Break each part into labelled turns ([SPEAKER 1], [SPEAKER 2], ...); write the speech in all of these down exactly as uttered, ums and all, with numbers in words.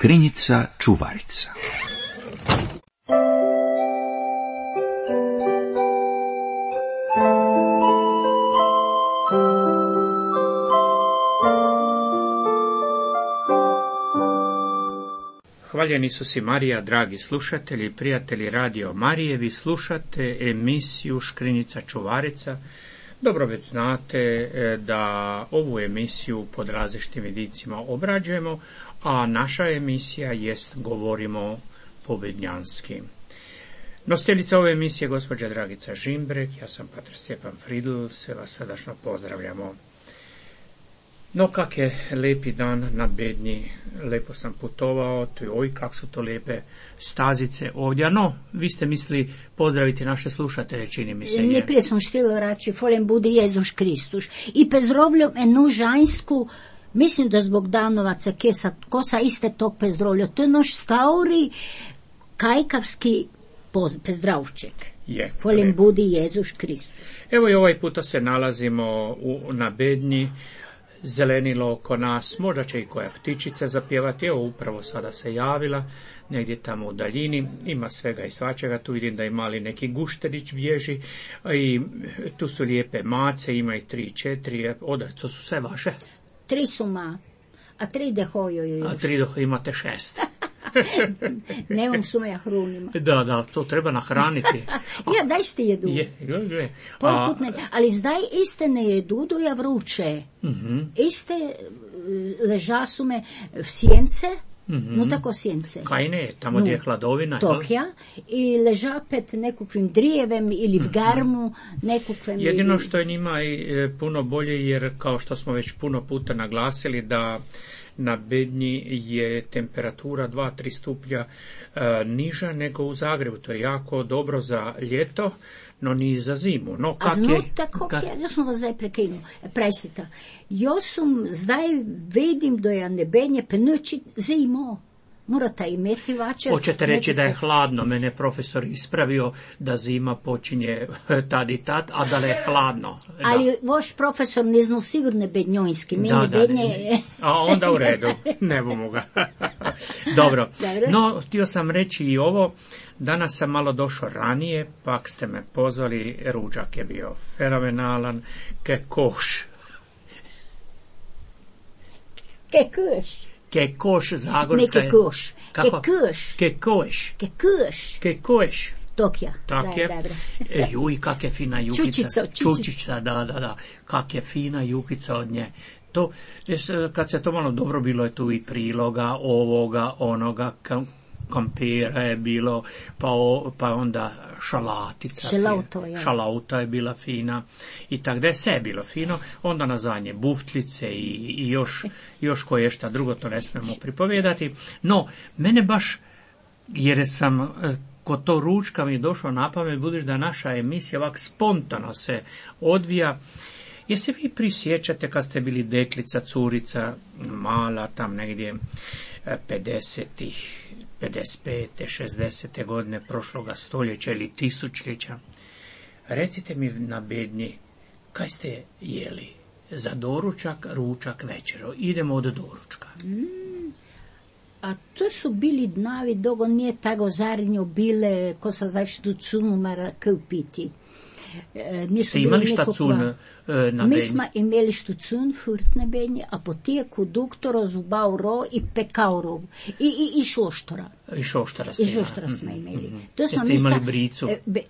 [SPEAKER 1] Škrinjica čuvarica.
[SPEAKER 2] Hvaljeni su si Marija, dragi slušatelji i prijatelji Radio Marije, vi slušate emisiju Škrinjica čuvarica. Dobro već znate da ovu emisiju pod različitim vidicima obrađujemo, a naša emisija jest Govorimo pobednjanski. Nositeljica ove emisije je gospođa Dragica Žimbrek, ja sam pater Stjepan Fridl, sve vas srdačno pozdravljamo. No, kak je lepi dan na Bednji, lepo sam putovao, tu oj, kak su to lepe stazice ovdje. No, vi ste mislili pozdraviti naše slušatelje, čini mi se.
[SPEAKER 3] Najprije sam štilo rači, folem budi Jezus Kristus. I pezdrovljom enu žansku, mislim da zbog Danovaca, kesa, kosa iste tog pezdrovlja, to je noš stauri kajkavski pezdravček.
[SPEAKER 2] Je.
[SPEAKER 3] Folem budi Jezus Kristus.
[SPEAKER 2] Evo i ovaj puta se nalazimo u, na Bednji. Zelenilo oko nas, možda će i koja ptičica zapjevati, evo upravo sada se javila, negdje tamo u daljini, ima svega i svačega, tu vidim da i mali neki gušterić bježi, i tu su lijepe mace, ima i tri, četiri, oda, to su sve vaše?
[SPEAKER 3] Tri su ma, a tri dehoju još.
[SPEAKER 2] A tri dehoju imate šest.
[SPEAKER 3] Nemam su ja hrunima.
[SPEAKER 2] Da, da, to treba nahraniti.
[SPEAKER 3] Ja, daj ste jedu.
[SPEAKER 2] Je, je, je.
[SPEAKER 3] A... Ne, ali zdaj iste ne jedu, do ja vruče.
[SPEAKER 2] Mm-hmm.
[SPEAKER 3] Iste leža su me v sjence, mm-hmm. no tako sjence.
[SPEAKER 2] Kaj ne, tamo gdje no, je hladovina.
[SPEAKER 3] Tokja, i leža pet nekakvim drijevem ili v garmu, nekakvim...
[SPEAKER 2] Jedino što je njima i puno bolje, jer kao što smo već puno puta naglasili, da na Bednji je temperatura dva do tri stupnja e, niža nego u Zagrebu. To je jako dobro za ljeto, no ni za zimu. No, kak
[SPEAKER 3] A znate
[SPEAKER 2] je,
[SPEAKER 3] kako
[SPEAKER 2] kak...
[SPEAKER 3] ja, ja sam vas zdaj prekinu, presita. Ja sam zdaj vidim da je na Bednje penući zimo. Morate imeti vačer.
[SPEAKER 2] Hoćete reći nekako... da je hladno. Mene profesor ispravio da zima počinje tad i tad, a da je hladno. Da.
[SPEAKER 3] Ali vaš profesor ne zna sigurno bednjojski. Meni
[SPEAKER 2] da, da,
[SPEAKER 3] bednje...
[SPEAKER 2] ne. A onda u redu. Ne bomo ga. Dobro.
[SPEAKER 3] Dobro.
[SPEAKER 2] No, htio sam reći i ovo. Danas sam malo došao ranije, pak ste me pozvali. Ručak je bio fenomenalan. Ke koš.
[SPEAKER 3] Ke koš.
[SPEAKER 2] Ke koš zagorska je...
[SPEAKER 3] Ne ke koš. Ke koš.
[SPEAKER 2] Ke koš.
[SPEAKER 3] Ke koš.
[SPEAKER 2] Ke koš.
[SPEAKER 3] Tokja.
[SPEAKER 2] Tak je. E, juj, kak je fina jukica.
[SPEAKER 3] Čučica.
[SPEAKER 2] Čučica, da, da, da. Kak je fina jukica od nje. To, kad se to malo dobro, bilo je tu i priloga, ovoga, onoga, kampira je bilo, pa, o, pa onda šalatica.
[SPEAKER 3] Šalauto, ja.
[SPEAKER 2] Šalauta je bila fina i tak da je sve bilo fino. Onda na zadnje buftlice i, i još, još koje šta drugo, to ne smemo pripovijedati. No, mene baš, jer sam kod to ručka mi je došlo na pamet, budući da naša emisija ovak spontano se odvija. Jeste vi prisjećate kad ste bili deklica, curica, mala, tam negdje pedesetih, pedeset pete, šezdesete godine prošloga stoljeća ili tisućljeća. Recite mi na Bednji, kaj ste jeli? Za doručak, ručak, večero. Idemo od doručka.
[SPEAKER 3] Mm, a to su bili dnavi, dogo nije tako zarnjo bile, ko sa zavštu cunu mara kupiti. E,
[SPEAKER 2] Ste imali šta cun e, na Bednji?
[SPEAKER 3] Mi smo imeli štucun furt na Bednji, a potijeku duktoro, zubauro i pekauro. I, i, i šoštora.
[SPEAKER 2] I šoštora ste
[SPEAKER 3] I šoštora smo imeli.
[SPEAKER 2] Mm-hmm.
[SPEAKER 3] To smo
[SPEAKER 2] Jeste imali bricu?
[SPEAKER 3] E, be,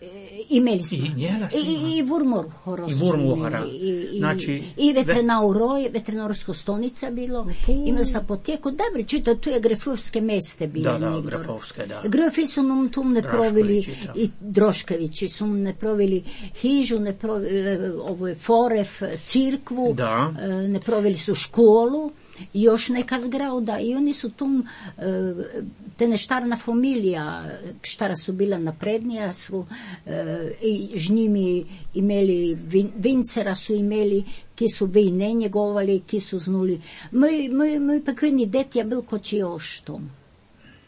[SPEAKER 3] imeli smo.
[SPEAKER 2] I njela ste imali?
[SPEAKER 3] I, i vurmoruhora.
[SPEAKER 2] I vurmoruhora.
[SPEAKER 3] I, i,
[SPEAKER 2] znači,
[SPEAKER 3] i veterinauroj, veterinarsko stonica bilo. Uh. Imali smo potijeku. Dobro, čita, tu je grefovske meste bile.
[SPEAKER 2] Da, da,
[SPEAKER 3] negdje.
[SPEAKER 2] grefovske, da.
[SPEAKER 3] Grefi su nam tu ne provili, i Droškovići su ne provili hižu, ne provili ovo je Foref, cirkvu,
[SPEAKER 2] da.
[SPEAKER 3] Ne provili su školu, još neka zgrada i oni su tu, te neštarna familija, štara su bila naprednija, su i žnjimi imeli, vincera su imeli, ki su vejne njegovali, ki su znuli. Moj, moj, moj pekveni det je bil koči oštom.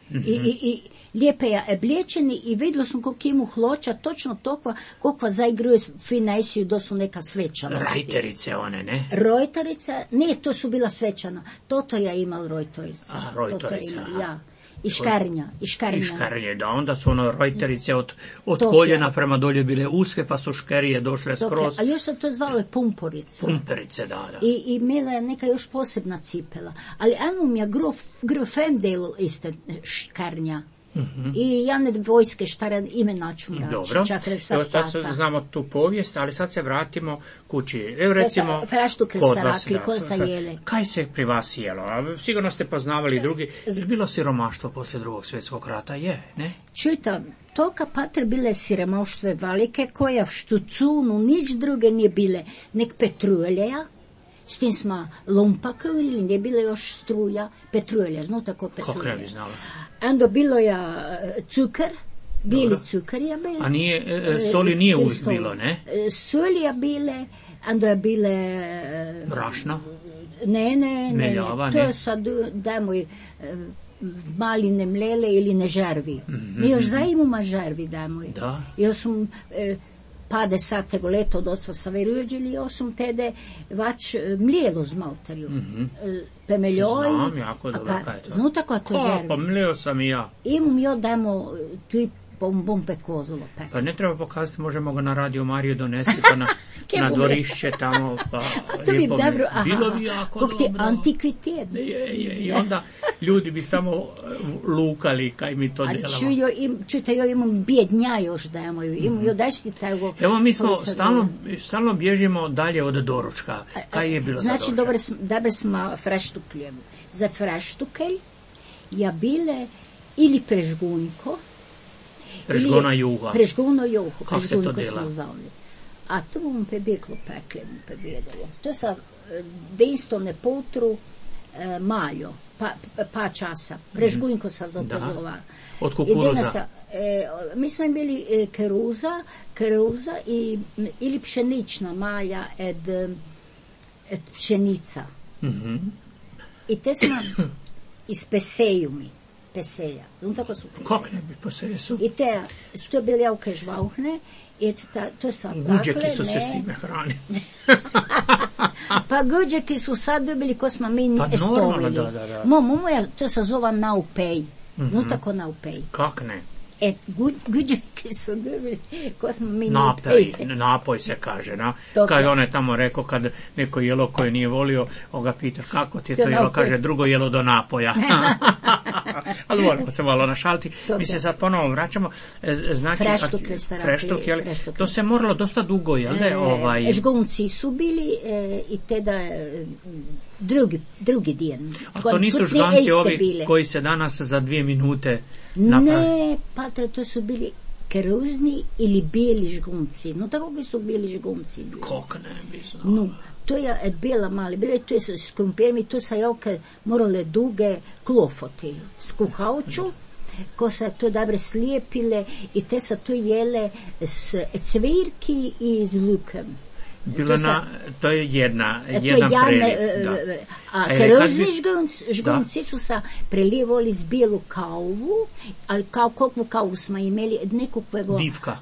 [SPEAKER 3] Mm-hmm. I, i, i lijepe je oblečeni i vidjela sam koliko imu hloča, točno tokva, kokva zaigruje finaisiju, da su neka svečanosti.
[SPEAKER 2] Rajterice one, ne?
[SPEAKER 3] Rojterica, ne, to su bila svečana. Toto ja imal rojterica.
[SPEAKER 2] A, rojterica,
[SPEAKER 3] ima, ja. I škarnja, i škarnja.
[SPEAKER 2] I škarnje, da, onda su ono rojterice od, od
[SPEAKER 3] Topja.
[SPEAKER 2] koljena prema dolje bile uske, pa su škerije došle
[SPEAKER 3] Topja.
[SPEAKER 2] skroz.
[SPEAKER 3] A još se to zvalo je pumporica.
[SPEAKER 2] Pumperice, da, da.
[SPEAKER 3] I, i imela je neka još posebna cipela. Ali anum ja grof, grofem del iste škarnja. Mm-hmm. I ja ne vojske štara ime naču mrači.
[SPEAKER 2] Dobro, evo sad znamo tu povijest, ali sad se vratimo kući. Evo recimo,
[SPEAKER 3] Fraštu
[SPEAKER 2] kod vas,
[SPEAKER 3] rakli, ko sa jele.
[SPEAKER 2] Kaj se pri vas jelo? A sigurno ste poznavali drugi. Je bilo siromaštvo poslije drugog svjetskog rata? Je, ne?
[SPEAKER 3] Čujte, toka patr bile siromaštve velike, koja v štucunu nič druge nije bile, nek petruljeja. S tim smo lumpa kurili, nije bila još struja, petrulja, znu tako petrulja.
[SPEAKER 2] Kako ne bi znala?
[SPEAKER 3] Ando bilo ja cukar, bili cukar je bile.
[SPEAKER 2] A nije, e, soli nije uvijek bilo, ne?
[SPEAKER 3] Soli je bile, ando je bile...
[SPEAKER 2] Brašno?
[SPEAKER 3] Ne, ne, ne,
[SPEAKER 2] Meljava,
[SPEAKER 3] to
[SPEAKER 2] ne?
[SPEAKER 3] je sad, daj moj, mali ne mlele ili ne žervi. Mm-hmm. Mi još zaimuma žervi, daj moj.
[SPEAKER 2] Da.
[SPEAKER 3] Ja sam... E, pa desatego leto dosta sa verujuđili, ja sam tede vač mlijelo z malterju.
[SPEAKER 2] Mm-hmm.
[SPEAKER 3] Pemeljoj.
[SPEAKER 2] Znam jako dobro
[SPEAKER 3] pa,
[SPEAKER 2] kaj je to.
[SPEAKER 3] Znu tako to žervi.
[SPEAKER 2] Pa mlijelo sam i ja.
[SPEAKER 3] Imam jo damo tu i bom, bom pekozolo pek.
[SPEAKER 2] Pa ne treba pokazati, možemo ga na Radio Mariju donesti pa na, na dvorišće tamo. Pa
[SPEAKER 3] to bi dobro, aha,
[SPEAKER 2] bilo bi jako
[SPEAKER 3] kog ti
[SPEAKER 2] dobro.
[SPEAKER 3] Antikvitet.
[SPEAKER 2] Je, je, i onda ljudi bi samo lukali kaj mi to delamo.
[SPEAKER 3] A ču jo im, čujte, jo imam bjednja još dajemo, imam jo dašti tego.
[SPEAKER 2] Evo mi smo stalno, stalno bježimo dalje od doručka. Kaj je bilo
[SPEAKER 3] znači,
[SPEAKER 2] za doručak?
[SPEAKER 3] Znači, dobro smo freštukljem. Za freštukelj ja bile ili prežgunjko,
[SPEAKER 2] Prežgona juha.
[SPEAKER 3] Prežgono juho.
[SPEAKER 2] Kako se to dela?
[SPEAKER 3] A to bom pebeklo pekle, bom pebedalo. To sa dejstovne potru e, maljo, pa, pa časa. Prežgunjko sa zopozlova.
[SPEAKER 2] Od kukuruza.
[SPEAKER 3] Sa, e, mi smo imeli e, keruza, keruza i, ili pšenična malja ed, ed pšenica.
[SPEAKER 2] Mm-hmm.
[SPEAKER 3] I te smo ispeseju mi. Peselja. No, tako su peselja.
[SPEAKER 2] Kako ne bi peselja su?
[SPEAKER 3] I te, to je bili javke žvauhne, i ta, to sa
[SPEAKER 2] guđeki su ne. se s time hrani.
[SPEAKER 3] Pa guđeki su sad dobili ko smo mi
[SPEAKER 2] pa
[SPEAKER 3] estovili.
[SPEAKER 2] Da, da, da.
[SPEAKER 3] Mo, momo ja to se zova naupej. Mm-hmm. No, tako naupej.
[SPEAKER 2] Kak ne?
[SPEAKER 3] E, guđeki su dobili ko smo mi
[SPEAKER 2] napoj. Napoj se kaže, na? Kad on je tamo rekao, kad neko jelo koje nije volio, on ga pita kako ti je to, to jelo, napoj. Kaže drugo jelo do napoja. Ali moramo se malo našaliti. Dobre. Mi se sad ponovo vraćamo. Znači,
[SPEAKER 3] freštuk,
[SPEAKER 2] freštuk, jel? To se moralo dosta dugo, jel da?
[SPEAKER 3] E,
[SPEAKER 2] ovaj...
[SPEAKER 3] Žgunci su bili e, i teda e, drugi, drugi dijen.
[SPEAKER 2] A to nisu žganci ovi bile. Koji se danas za dvije minute napravi?
[SPEAKER 3] Ne, pa to, to su bili keruzni ili bijeli žgunci. No tako bi su bili žgunci. Bili.
[SPEAKER 2] Kako ne bi znao?
[SPEAKER 3] No, to je bila mali, bile to je s krumpirmi, to sa joke morale duge klofoti s kuhauču, ko se to dobre slijepile i te se to jele s cvirki i z lukem.
[SPEAKER 2] Bilo to, sa, na, to je jedna,
[SPEAKER 3] to
[SPEAKER 2] jedan
[SPEAKER 3] jadne,
[SPEAKER 2] preliv.
[SPEAKER 3] A e, keruzni žgunci, žgunci su sa prelivali z bijelu kavu, ali kao kakvu kavu smo imeli, nekakvego...
[SPEAKER 2] Divka.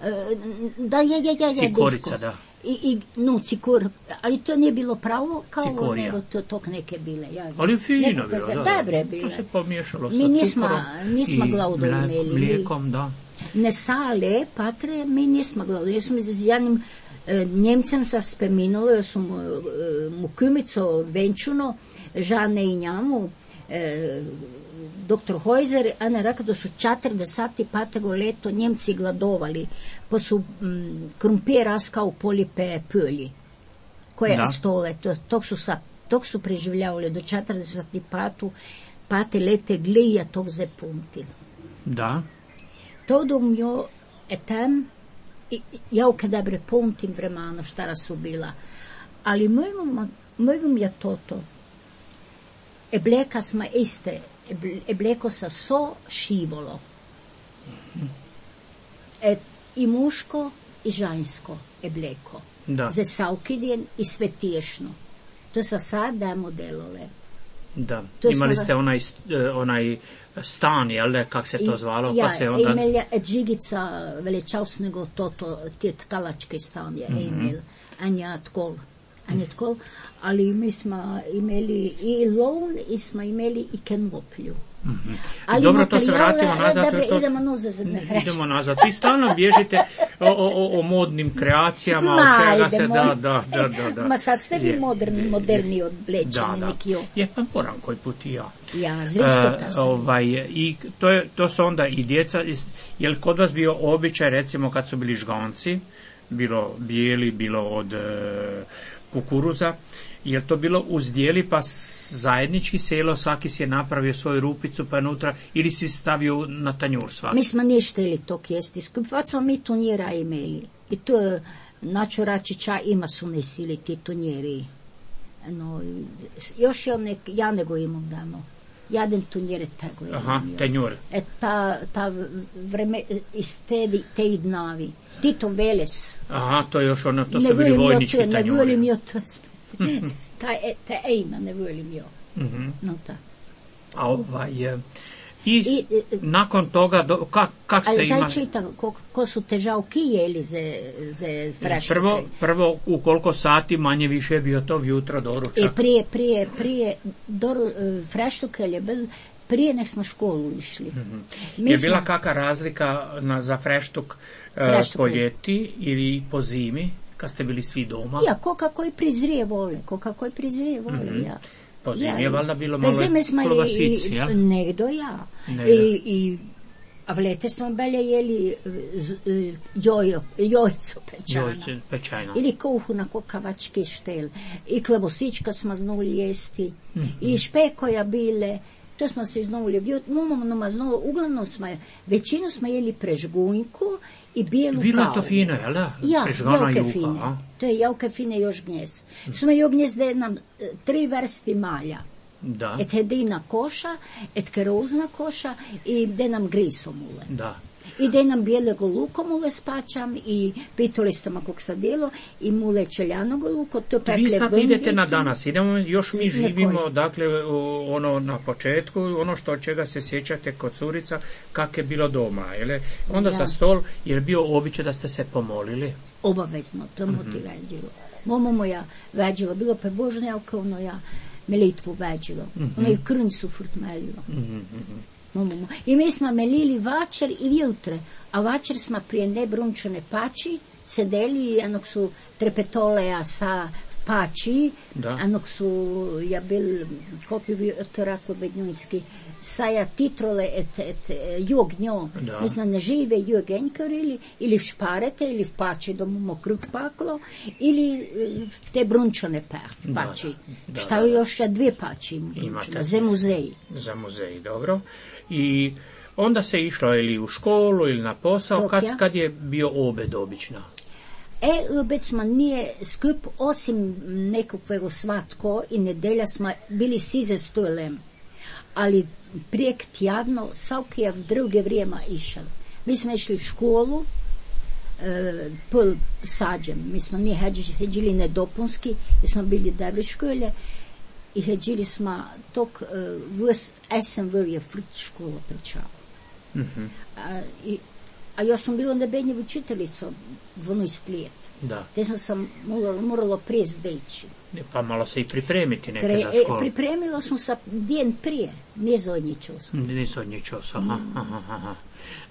[SPEAKER 3] Da, je, je, je, je,
[SPEAKER 2] Cikorica, da.
[SPEAKER 3] I, i, no, cikur, ali to nije bilo pravo kao
[SPEAKER 2] Cikorija.
[SPEAKER 3] Nego to tok neke bile, ja znam.
[SPEAKER 2] Ali fino bilo,
[SPEAKER 3] se,
[SPEAKER 2] da.
[SPEAKER 3] Dobre bile.
[SPEAKER 2] To se pomiješalo sa
[SPEAKER 3] mi nismo,
[SPEAKER 2] cukorom
[SPEAKER 3] nismo
[SPEAKER 2] i
[SPEAKER 3] glaudo
[SPEAKER 2] mle,
[SPEAKER 3] imeli.
[SPEAKER 2] mlijekom, da.
[SPEAKER 3] Ne sale, patre, mi nismo glaudo. Ja sam z jednim e, Njemcem sa speminalo, ja sam e, mu kumico venčuno, žane i njamu, e, doktor Hojzer, Ana rekao da su četrdeset petego leto Njemci gladovali, pa su mm, krumpir raskao polipe pölji, koje da. Stole, to, tog, su sa, tog su preživljavali do četrdeset pete lete glija tog zepuntil.
[SPEAKER 2] Da.
[SPEAKER 3] To dom jo etem, ja u dobre puntim vremano štara su bila, ali mojom je toto, ebleka smo iste, ebleko sa so šivolo. E, i muško i žensko ebleko.
[SPEAKER 2] Da.
[SPEAKER 3] Za saukidjen i svetiješno. To sa sad dajemo delole.
[SPEAKER 2] Da,
[SPEAKER 3] To
[SPEAKER 2] imali
[SPEAKER 3] smo-
[SPEAKER 2] ste onaj, onaj stan, jel ne, kak se to zvalo,
[SPEAKER 3] ja,
[SPEAKER 2] pa se onda...
[SPEAKER 3] imel je Džigica velečasnega toto, te tkalačke stan je
[SPEAKER 2] Mhm.
[SPEAKER 3] imel, Anja Tkol, Anja Tkol, ali mi smo imeli i lon i smo imeli i kenoplju. Ali
[SPEAKER 2] Dobro, to se
[SPEAKER 3] materijale-
[SPEAKER 2] vratimo nazad.
[SPEAKER 3] Dobro,
[SPEAKER 2] to-
[SPEAKER 3] idemo nazad, ne frešno.
[SPEAKER 2] Idemo nazad. Vi stalno bježite o, o, o, o modnim kreacijama, od
[SPEAKER 3] Ma,
[SPEAKER 2] čega se
[SPEAKER 3] idemo.
[SPEAKER 2] da, da, da, da, da.
[SPEAKER 3] Ma sad ste vi
[SPEAKER 2] Je,
[SPEAKER 3] moderni,
[SPEAKER 2] je,
[SPEAKER 3] moderni
[SPEAKER 2] je.
[SPEAKER 3] oblečeni,
[SPEAKER 2] Da, da.
[SPEAKER 3] neki o-
[SPEAKER 2] Je, pa moram koji put i ja.
[SPEAKER 3] Ja, zrihkota
[SPEAKER 2] E,
[SPEAKER 3] sam.
[SPEAKER 2] ovaj, i to, je, to su onda i djeca, je li kod vas bio običaj, recimo kad su bili žganci, bilo bijeli, bilo od e, kukuruza, je li to bilo uzdjeli pa s- zajednički selo, svaki si je napravio svoju rupicu pa je unutra, ili si stavio na tanjur svaki?
[SPEAKER 3] Mi smo nije šteli tog jesti skup, vad smo mi tunjera imeli. I to je, naču Račića ima su nesili ti tunjeri. No, još je nek, ja nego imam damo. Jaden tunjere tego je
[SPEAKER 2] Aha,
[SPEAKER 3] imio.
[SPEAKER 2] tanjur.
[SPEAKER 3] E ta, ta vreme, iz te, te idnavi. Tito Veles.
[SPEAKER 2] Aha, to je još ono, to
[SPEAKER 3] ne
[SPEAKER 2] su bili
[SPEAKER 3] volim jo
[SPEAKER 2] vojnički
[SPEAKER 3] to, ne
[SPEAKER 2] tanjuri.
[SPEAKER 3] volim jo to. ta, e, ta ejma ne volim jo.
[SPEAKER 2] Mhm.
[SPEAKER 3] No ta.
[SPEAKER 2] A ovaj, e, i,
[SPEAKER 3] I, e,
[SPEAKER 2] nakon toga, do, kak, kak
[SPEAKER 3] Ali
[SPEAKER 2] se ima...
[SPEAKER 3] zdaj čita, ko, ko su težavki jeli za, za frešnike.
[SPEAKER 2] Prvo, prvo, u koliko sati manje više je bio to vjutra doručak?
[SPEAKER 3] I prije, prije, prije, do, freštuke je bil, prije nek smo školu išli. Mi
[SPEAKER 2] Je
[SPEAKER 3] smo-
[SPEAKER 2] bila kakva razlika na, za freštuk, e,
[SPEAKER 3] Freštuk
[SPEAKER 2] po
[SPEAKER 3] je.
[SPEAKER 2] ljeti ili po zimi, kad ste bili svi doma?
[SPEAKER 3] Ja, ko kako i prizrije vole, ko kako i prizrije vole, ja.
[SPEAKER 2] Po zimi
[SPEAKER 3] Ja,
[SPEAKER 2] je
[SPEAKER 3] i-
[SPEAKER 2] valjda bilo
[SPEAKER 3] po
[SPEAKER 2] malo
[SPEAKER 3] zimi smo
[SPEAKER 2] klobasici,
[SPEAKER 3] i-
[SPEAKER 2] jel?
[SPEAKER 3] Negdo ja.
[SPEAKER 2] Negdo.
[SPEAKER 3] I, i, a v lete smo belje jeli z- e, jojo, jojco pečano.
[SPEAKER 2] Jojce, pečajno.
[SPEAKER 3] Ili kuhu na kokavački štel. I klebosička smo znuli jesti. I špekoja bile. To smo se znuli vjut. Mumom znalo, uglavnom smo, je- većinu smo jeli prežgunjku i bijelu
[SPEAKER 2] Bilo je
[SPEAKER 3] kavu.
[SPEAKER 2] to fino, jel da?
[SPEAKER 3] Ja,
[SPEAKER 2] Prežgana
[SPEAKER 3] jauke
[SPEAKER 2] juha,
[SPEAKER 3] fine.
[SPEAKER 2] a?
[SPEAKER 3] To je jauke fine još gnjez. Smo jo gnjezde nam e, tri vrsti malja.
[SPEAKER 2] Da,
[SPEAKER 3] Et hedina koša, et kerozna koša i de nam grisomule.
[SPEAKER 2] da.
[SPEAKER 3] I de nam bijelego lukomule spačam i pitolistama kog sadilo i mule čeljanogo luko, to
[SPEAKER 2] Vi
[SPEAKER 3] pekle
[SPEAKER 2] sad
[SPEAKER 3] vunjike.
[SPEAKER 2] idete na danas, idemo, još mi
[SPEAKER 3] Ne
[SPEAKER 2] živimo,
[SPEAKER 3] koji.
[SPEAKER 2] dakle, u- ono na početku, ono što čega se sjećate kod curica, kak je bilo doma, jel? Onda
[SPEAKER 3] Ja.
[SPEAKER 2] za stol, je bio običaj da ste se pomolili?
[SPEAKER 3] Obavezno, to mu ti veđilo. Momo moja veđilo, bilo pe božnjavka, ono ja melitvu veđilo. Ono i krncu furt melilo. Momo mo. I mi smo melili vačer i jutre, a vačer smo prije nebrunčane pači sedeli i anog su trepetoleja sa pači,
[SPEAKER 2] Da.
[SPEAKER 3] anog su, ja bil, kako bi bio to rako bednjujski, saja titrole et, et jugnjo,
[SPEAKER 2] Da.
[SPEAKER 3] mislim, ne žive jugenjkarili, ili v šparete, ili v pači da mu krug paklo, ili eh, v te brunčane pa,
[SPEAKER 2] Da,
[SPEAKER 3] pači.
[SPEAKER 2] da,
[SPEAKER 3] Šta
[SPEAKER 2] da,
[SPEAKER 3] je
[SPEAKER 2] da.
[SPEAKER 3] još dvije pači
[SPEAKER 2] Imate.
[SPEAKER 3] brunčane, za muzeji.
[SPEAKER 2] Za muzej, dobro. I onda se išlo ili u školu ili na posao,
[SPEAKER 3] Dok
[SPEAKER 2] kad,
[SPEAKER 3] ja?
[SPEAKER 2] kad je bio obed obično?
[SPEAKER 3] E, obec smo nije skup, osim nekakvego svatko i nedelja smo bili svi za stolem. Ali prijek tjadno, svaki je v druge vrijeme išel. Mi smo išli v školu, e, pol sađem. Mi smo nije heđili, heđili nedopunski, jer smo bili dobre škole i heđili smo tok e, vs esem vrje frt škola pričala. A, i, a ja sam bila nebenje učiteljica od dvanaest let.
[SPEAKER 2] Da.
[SPEAKER 3] Te sam sam moralo, moralo prije zdeći.
[SPEAKER 2] Pa malo se i pripremiti neke
[SPEAKER 3] Tre,
[SPEAKER 2] za
[SPEAKER 3] e,
[SPEAKER 2] školu.
[SPEAKER 3] pripremila sam se den prije, nije zadnjičila sam.
[SPEAKER 2] Nisu od ničeg, aha, aha, aha.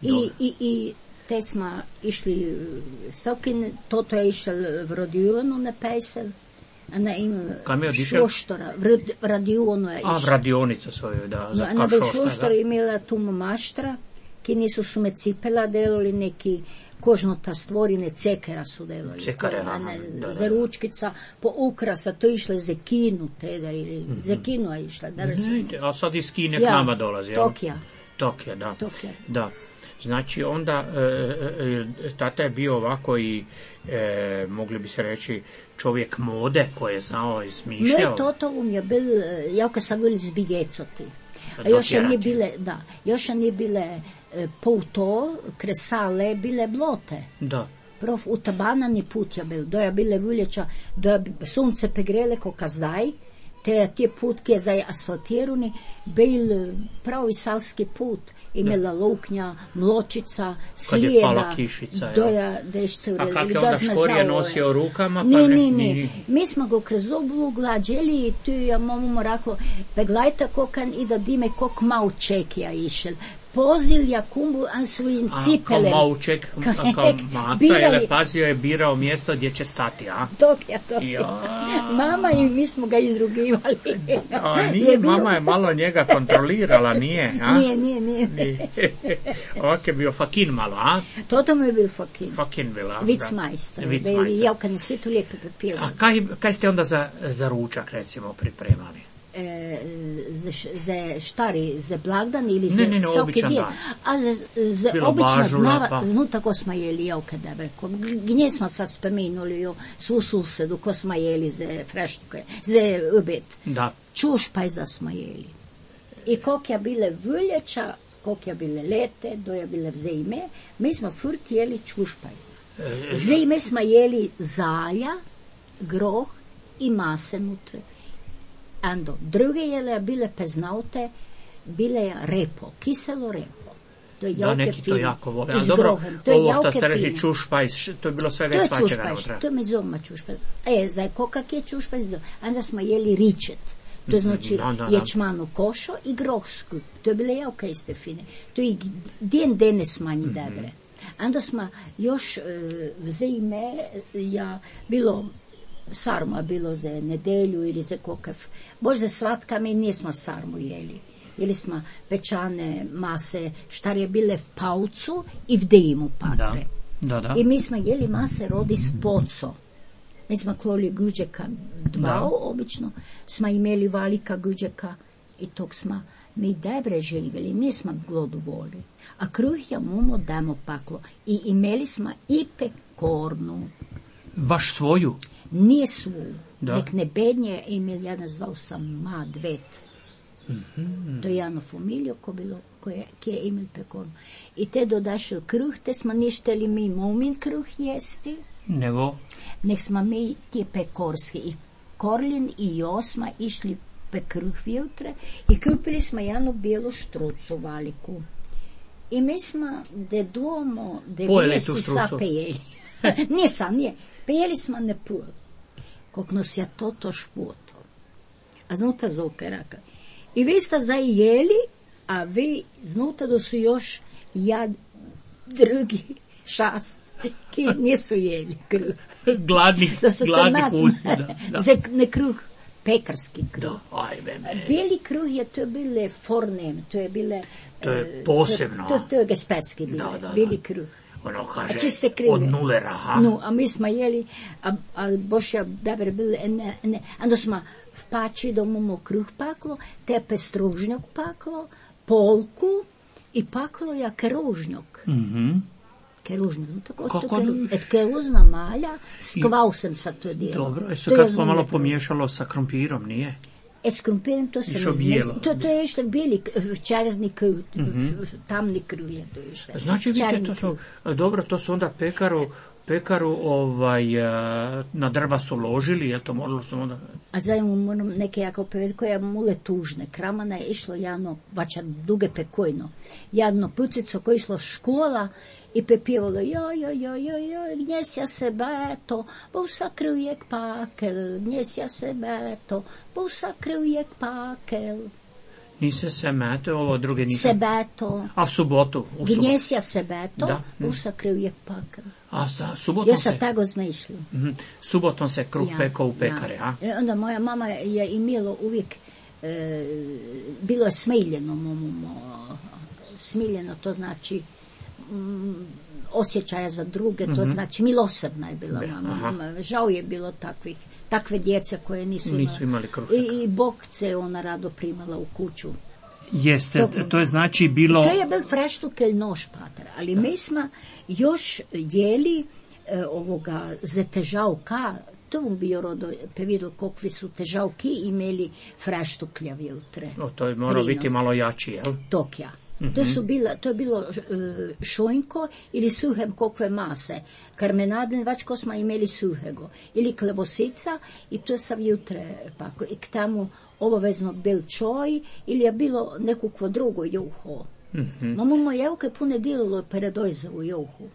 [SPEAKER 3] I,
[SPEAKER 2] Dobro.
[SPEAKER 3] i, i te smo išli, Sokin, toto je išel v radionu na pesel, a ne imel
[SPEAKER 2] Kam je odišel?
[SPEAKER 3] šoštora, v rad- radionu je
[SPEAKER 2] A, v
[SPEAKER 3] išel.
[SPEAKER 2] radionicu svoju, da,
[SPEAKER 3] No,
[SPEAKER 2] za
[SPEAKER 3] a na bil
[SPEAKER 2] kašošta,
[SPEAKER 3] šoštor
[SPEAKER 2] da.
[SPEAKER 3] imela tu maštra, ki nisu su me cipela delali neki kožnota stvorine, cekera su delali.
[SPEAKER 2] Cekare,
[SPEAKER 3] To, a
[SPEAKER 2] aha,
[SPEAKER 3] ne,
[SPEAKER 2] da, da,
[SPEAKER 3] za
[SPEAKER 2] da.
[SPEAKER 3] ručkica, po ukrasa, to je išla za kinu, teder, ili za kinu je išla. Da
[SPEAKER 2] Ne, a sad iz Kine k
[SPEAKER 3] Ja,
[SPEAKER 2] nama dolazi, jel?
[SPEAKER 3] Tokija.
[SPEAKER 2] Tokija, da.
[SPEAKER 3] Tokija.
[SPEAKER 2] Da. Znači onda e, e, tata je bio ovako i e, mogli bi se reći čovjek mode koji je znao i smišljao.
[SPEAKER 3] Moj toto um je bil, eh, ja kad sam bili zbigecoti. A
[SPEAKER 2] Pa
[SPEAKER 3] još je nije
[SPEAKER 2] dotjerati.
[SPEAKER 3] bile, da, još je nije bile eh, pouto, kresale, bile blote.
[SPEAKER 2] Da.
[SPEAKER 3] Prav utabanani put je bil, doja bile vuljeća, doja bi sunce pegrele ko kazdaj, te, te putke za asfaltirani, bil pravi salski put, imela luknja, mločica, slijeda,
[SPEAKER 2] kišica,
[SPEAKER 3] doja dešce
[SPEAKER 2] a kak je onda škorije nosio u rukama? Pa
[SPEAKER 3] ne,
[SPEAKER 2] ne,
[SPEAKER 3] ne, ne, mi smo ga kroz oblu glađeli i tu ja mamu rekla, peglajte kokan i da dime kok mal čekija išel. Pozilja kumbu an svojim cipelem.
[SPEAKER 2] A kao mauček, kao masa, jer pazio je birao mjesto gdje će stati, a?
[SPEAKER 3] Dok ja, dok ja. Mama i mi smo ga izrugivali.
[SPEAKER 2] A nije, je bilo... mama je malo njega kontrolirala, nije, a?
[SPEAKER 3] Nije, nije, nije. nije.
[SPEAKER 2] Ovak je bio fakin malo, a?
[SPEAKER 3] Toto mu je bio fakin.
[SPEAKER 2] Fakin bila.
[SPEAKER 3] Vicmajstor. Vicmajstor. Ja kad ne svi tu lijepo pepila.
[SPEAKER 2] A kaj, kaj ste onda za, za ručak, recimo, pripremali?
[SPEAKER 3] E, za, za štari, za blagdan ili za
[SPEAKER 2] ne, ne, ne,
[SPEAKER 3] svaki dio. A za, za obično dnava,
[SPEAKER 2] pa.
[SPEAKER 3] znu tako smo jeli ja kada breko. Gdje smo sad spomenuli jo, svu susedu ko smo jeli za freštuke, za obed.
[SPEAKER 2] Da.
[SPEAKER 3] Čušpajza smo jeli. I kok je bile vljeća, kok je bile lete, do je bile vzejme, mi smo furt jeli čušpajza. Vzejme smo jeli zalja, groh i mase nutre. Ando, druge jele bile peznaute, bile repo, kiselo repo. To je
[SPEAKER 2] da, neki
[SPEAKER 3] fino.
[SPEAKER 2] To jako vole.
[SPEAKER 3] S
[SPEAKER 2] dobro,
[SPEAKER 3] grohem. To je
[SPEAKER 2] ovo što ste
[SPEAKER 3] fino.
[SPEAKER 2] reći čušpajs, to je bilo svega
[SPEAKER 3] to
[SPEAKER 2] i svačega.
[SPEAKER 3] Čušpajs, to je mi zoma čušpajs. E, za kokak je čušpajs, onda smo jeli ričet. To znači
[SPEAKER 2] no, no, no.
[SPEAKER 3] ječmanu košo i groh skup. To je bile jako iste fine. To je den denes manji mm-hmm. dobre. Onda smo još uh, vzime, ja bilo sarma bilo za nedelju ili za kokav. Bože svatka mi nismo sarmu jeli. Jeli smo pečane mase, štar je bile v paucu i v dejmu patre.
[SPEAKER 2] Da, da, da.
[SPEAKER 3] I mi smo jeli mase rodi s poco. Mi smo kloli guđeka dva, obično. Smo imeli valika guđeka i tog smo mi dobre živjeli, nismo glodu voli. A kruh je mumo damo paklo. I imeli smo i pekornu.
[SPEAKER 2] Baš svoju?
[SPEAKER 3] Nije svoju.
[SPEAKER 2] Da.
[SPEAKER 3] Nek ne bednje imel, ja nazval sam ma dvet.
[SPEAKER 2] Mm-hmm.
[SPEAKER 3] To je jedno familijo ko bilo, koje je imel pekornu. I te dodašel kruh, te smo ništeli mi momin kruh jesti.
[SPEAKER 2] Nego?
[SPEAKER 3] Nek smo mi ti pekorski i Korlin i Josma išli pe kruh vjutre i kupili smo jednu bijelu štrucu valiku. I mi smo de duomo devijesi sa pejeli. Nisam, nije. Pejeli smo ne pul. Kok nos ja to to špoto. A znuta zoke raka. I vi ste zdaj jeli, a vi znuta da su još jad drugi šast, ki nisu jeli kruh.
[SPEAKER 2] Gladni, gladni pusti. Da, da.
[SPEAKER 3] Za ne kruh, pekarski kruh.
[SPEAKER 2] Da, ajme me.
[SPEAKER 3] Bijeli kruh je to bile fornem, to je bile...
[SPEAKER 2] To je posebno.
[SPEAKER 3] To, to, to je gespetski bile,
[SPEAKER 2] da, da, da.
[SPEAKER 3] bijeli kruh.
[SPEAKER 2] Ono kaže, od nulera, ha?
[SPEAKER 3] No, a mi smo jeli, a, a boš ja dobar bili, ne, ne, onda smo v pači da imamo kruh paklo, tepe stružnjak paklo, polku i paklo ja keružnjak.
[SPEAKER 2] Mhm.
[SPEAKER 3] Keružnjak, no tako,
[SPEAKER 2] Kako?
[SPEAKER 3] to keru, et keruzna malja, s kvausom sa to dijelo.
[SPEAKER 2] Dobro, e sad kad smo malo pomiješalo sa krompirom, nije?
[SPEAKER 3] E, s krompirom to se ne zmesi. To, to je išta bijeli, čarni kruh, mm-hmm. tamni kruh je to išta.
[SPEAKER 2] Znači, vidite, to su, dobro, to su onda pekaru, pekaru ovaj, na drva su ložili, je to moralo su onda...
[SPEAKER 3] A zajedno moram neke jako povedati koja mule tužne. Kramana je išlo jedno, vača duge pekojno, jedno pucico koje je išlo škola i pepivalo, joj, joj, joj, joj, joj, gnjesja se beto, busa krujek pakel, gnjesja se beto, busa krujek pakel.
[SPEAKER 2] Nise se mete, ovo druge nise...
[SPEAKER 3] Sebeto.
[SPEAKER 2] A v subotu? U subotu.
[SPEAKER 3] Gnjesja sebeto,
[SPEAKER 2] da.
[SPEAKER 3] busa krujek pakel.
[SPEAKER 2] A da, subotom
[SPEAKER 3] ja
[SPEAKER 2] se...
[SPEAKER 3] sam tako smo išli.
[SPEAKER 2] Mm-hmm. Subotom se kruh
[SPEAKER 3] ja,
[SPEAKER 2] pekao u pekare,
[SPEAKER 3] ja.
[SPEAKER 2] a?
[SPEAKER 3] E, onda moja mama je imela uvijek, e, bilo je smiljeno, momo, smiljeno, to znači mm, osjećaja za druge, to mm-hmm. znači milosrdna je bila mama. Aha. Žao je bilo takvih, takve djece koje nisu,
[SPEAKER 2] nisu imali kruh.
[SPEAKER 3] I, i bokce ona rado primala u kuću.
[SPEAKER 2] Jeste, to, to je znači bilo...
[SPEAKER 3] To je bil freštukelj nož, pater, ali mi smo još jeli e, ovoga za težavka, to vam bi rodo pevidel kokvi su težavki imeli freštuklja vjutre.
[SPEAKER 2] O, to je moralo biti malo jači, jel?
[SPEAKER 3] Tok ja. Mm-hmm. To, su bila, to je bilo uh, šojnko ili suhe kokve mase. Karmenaden vačko smo imeli suhego. Ili klebosica i to sam jutre. Pa, i k tamo obavezno bil čoj ili je bilo nekakvo drugo juho. Mm-hmm. Mamo moje javke pune dililo peredojzovu juhu.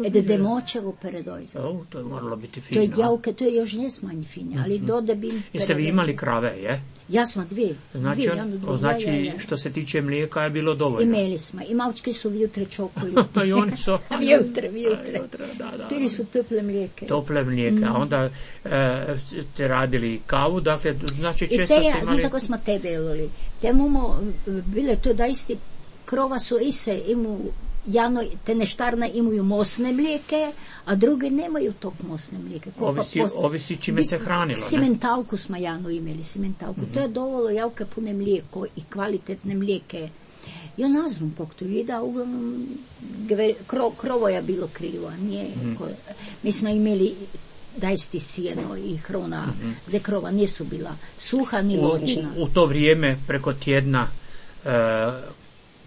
[SPEAKER 3] Ede demočevo peredojzovu.
[SPEAKER 2] O, to je moralo biti fino.
[SPEAKER 3] To je javke, to je još ne smanj finje, ali mm-hmm. dode bil peredojzovu.
[SPEAKER 2] Jeste vi imali krave, je?
[SPEAKER 3] Ja sam dvije.
[SPEAKER 2] Znači,
[SPEAKER 3] dvije, ja, dvije,
[SPEAKER 2] znači
[SPEAKER 3] ja, ja, ja.
[SPEAKER 2] što se tiče mlijeka je bilo dovoljno.
[SPEAKER 3] Imeli smo. I malčki su vjutre čokoli.
[SPEAKER 2] Pa i oni su.
[SPEAKER 3] Vjutre, vjutre.
[SPEAKER 2] Da, da.
[SPEAKER 3] Pili su tople mlijeke.
[SPEAKER 2] Tople mlijeke. Mm. A onda e, ste radili kavu, dakle, znači često
[SPEAKER 3] I te
[SPEAKER 2] ste
[SPEAKER 3] ja,
[SPEAKER 2] imali...
[SPEAKER 3] znam tako smo te delili. Te momo, bile to da isti krova su ise, imu, jano, te neštarne imaju mosne mlijeke, a druge nemaju tog mosne mlijeke.
[SPEAKER 2] Ovisi, pos... ovisi čime se hranilo, ne?
[SPEAKER 3] Simentalku smo jano imeli, simentalku. Mm-hmm. To je dovoljno javke pune mlijeko i kvalitetne mlijeke. Ja ne znam pok to vida, uglavnom kro, krovo je bilo krivo, a nije. Mm. Ko, mi smo imeli dajsti sjeno i hrona, mm-hmm. za krova nisu bila suha ni voćna.
[SPEAKER 2] U, u, u to vrijeme preko tjedna e,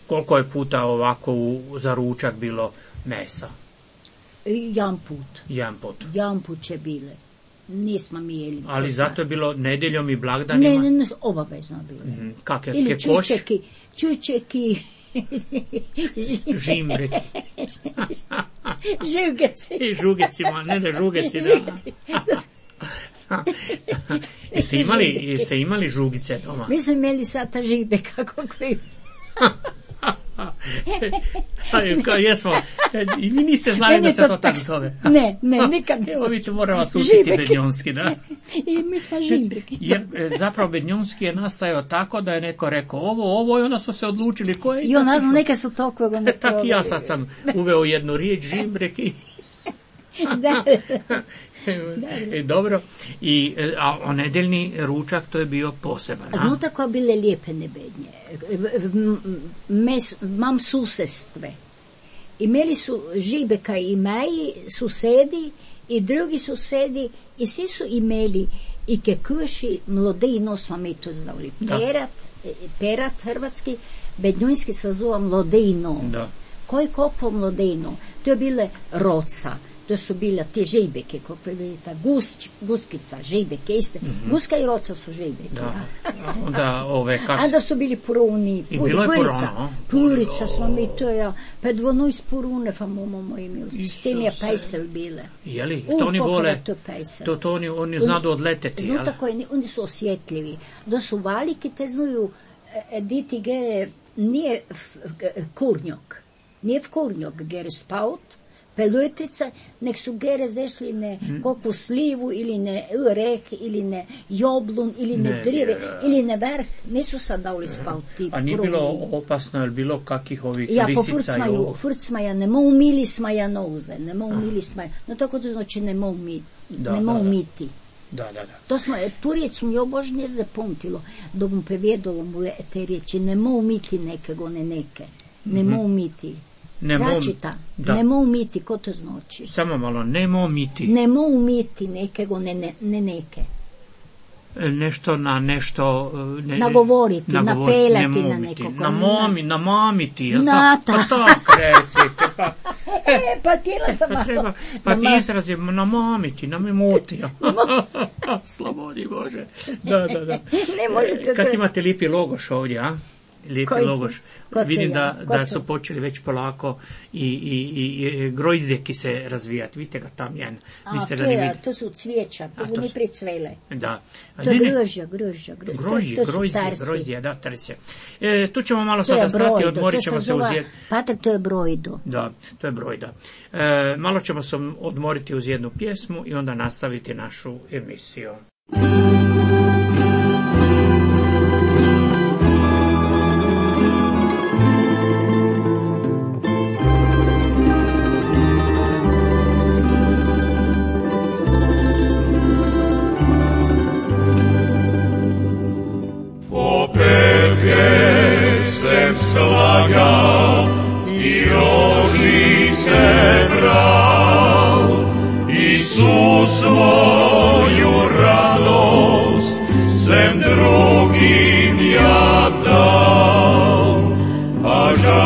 [SPEAKER 2] koliko je puta ovako u, za ručak bilo mesa?
[SPEAKER 3] Jedan put.
[SPEAKER 2] Jedan put.
[SPEAKER 3] Jedan put će bile. Nismo mi jeli.
[SPEAKER 2] Ali zato je bilo nedjeljom i blagdanima?
[SPEAKER 3] Ne, ne, ne, obavezno bilo.
[SPEAKER 2] Mm-hmm. Kakve,
[SPEAKER 3] ili
[SPEAKER 2] kekoš?
[SPEAKER 3] čučeki, čučeki,
[SPEAKER 2] žimri.
[SPEAKER 3] Žugeci.
[SPEAKER 2] I žugecima, ne da žugeci, da. Jeste imali, jeste imali žugice doma?
[SPEAKER 3] Mi smo imeli sata žibe, kako koji.
[SPEAKER 2] Jesmo, i vi niste znali da se to tako zove.
[SPEAKER 3] Ne, ne, nikad ne.
[SPEAKER 2] Evo vi ću moram vas učiti bednjonski, da?
[SPEAKER 3] I mi smo žibreki.
[SPEAKER 2] Zapravo bednjonski je nastajao tako da je neko rekao ovo, ovo i onda su se odlučili ko je.
[SPEAKER 3] I ona znam, neka su toliko ga ne probali.
[SPEAKER 2] Tako ja sad sam uveo jednu riječ, žibreki.
[SPEAKER 3] Da.
[SPEAKER 2] E, dobro, I, a o nedeljni ručak to je bio poseban.
[SPEAKER 3] Znao tako bile lijepe nebednje. Mes, mam susestve. Imeli su žibeka i maji, susedi i drugi susedi i svi su imeli i kekuši, mlodejno smo mi to znali. Perat, perat hrvatski, bednjunski se zove mlodejno.
[SPEAKER 2] Da.
[SPEAKER 3] Koji kokvo mlodejno? To je bile roca. To su bila te žibeke, kako je vidite, gus, guskica, žibeke, iste. Mm-hmm. Guska i roca su žibeke.
[SPEAKER 2] Da. Onda, ove, kas...
[SPEAKER 3] A da su bili puruni,
[SPEAKER 2] puri,
[SPEAKER 3] purica,
[SPEAKER 2] purono,
[SPEAKER 3] purica smo mi to, ja, pa dvonu iz purune, pa momo moji imeli. S tim je pejsel bile.
[SPEAKER 2] Jeli, to oni vole,
[SPEAKER 3] to, to,
[SPEAKER 2] to oni, oni znadu odleteti, jel?
[SPEAKER 3] Znu tako, oni su osjetljivi. Da su valiki, te znaju, e, diti gere, nije f, kurnjok, nije v kurnjok gere spaut, peluetrica, nek su gere zešli ne mm. kokvu slivu ili ne rek ili ne joblun ili ne, ne drive je, ili ne vrh, nisu sad dali spavti.
[SPEAKER 2] A nije bilo opasno, ili bilo kakih ovih
[SPEAKER 3] ja,
[SPEAKER 2] lisica? Ja,
[SPEAKER 3] po furcmaja, ne mo umili smaja noze, ne mo umili smaja, no tako to znači ne mo umiti,
[SPEAKER 2] da,
[SPEAKER 3] ne mo
[SPEAKER 2] da,
[SPEAKER 3] umiti.
[SPEAKER 2] Da, da, da.
[SPEAKER 3] To smo, tu riječ mi obožnje zapamtilo, da mu prevedalo mu te riječi, ne mo umiti nekego, ne neke, ne mm-hmm. mo umiti. Račita, ne mo umiti, ko to znači?
[SPEAKER 2] Samo malo, ne mo umiti.
[SPEAKER 3] Ne mo umiti nekego, ne, ne, ne neke.
[SPEAKER 2] Nešto na nešto... Ne,
[SPEAKER 3] nagovoriti,
[SPEAKER 2] nagovoriti,
[SPEAKER 3] napelati na nekoga.
[SPEAKER 2] Na momi, na mamiti, jel
[SPEAKER 3] na,
[SPEAKER 2] pa što recite, pa...
[SPEAKER 3] E, pa tijela sam malo...
[SPEAKER 2] Treba, pa ti izrazi, na mamiti, na mimuti. Slobodi Bože. Da, da, da.
[SPEAKER 3] Ne možete...
[SPEAKER 2] Kad imate lipi logoš ovdje, a? Lijepi
[SPEAKER 3] Koji,
[SPEAKER 2] logoš. Vidim da, da su počeli već polako i, i, i, i grozdjeki se razvijati. Vidite ga tam jedan.
[SPEAKER 3] A, to, je, to su cvijeća, to ni pricvele.
[SPEAKER 2] Da.
[SPEAKER 3] To je grožja, grožja.
[SPEAKER 2] Grožje, grozdje, grozdje, da, tarsi. E, tu ćemo malo sada stati, odmorit ćemo se uz jednu...
[SPEAKER 3] Patak, to je brojdo.
[SPEAKER 2] Da, to je brojda. E, malo ćemo se odmoriti uz jednu pjesmu i onda nastaviti našu emisiju.
[SPEAKER 4] Slagao i rožice brao, Isus svoju radost sem drugim ja dao, a žal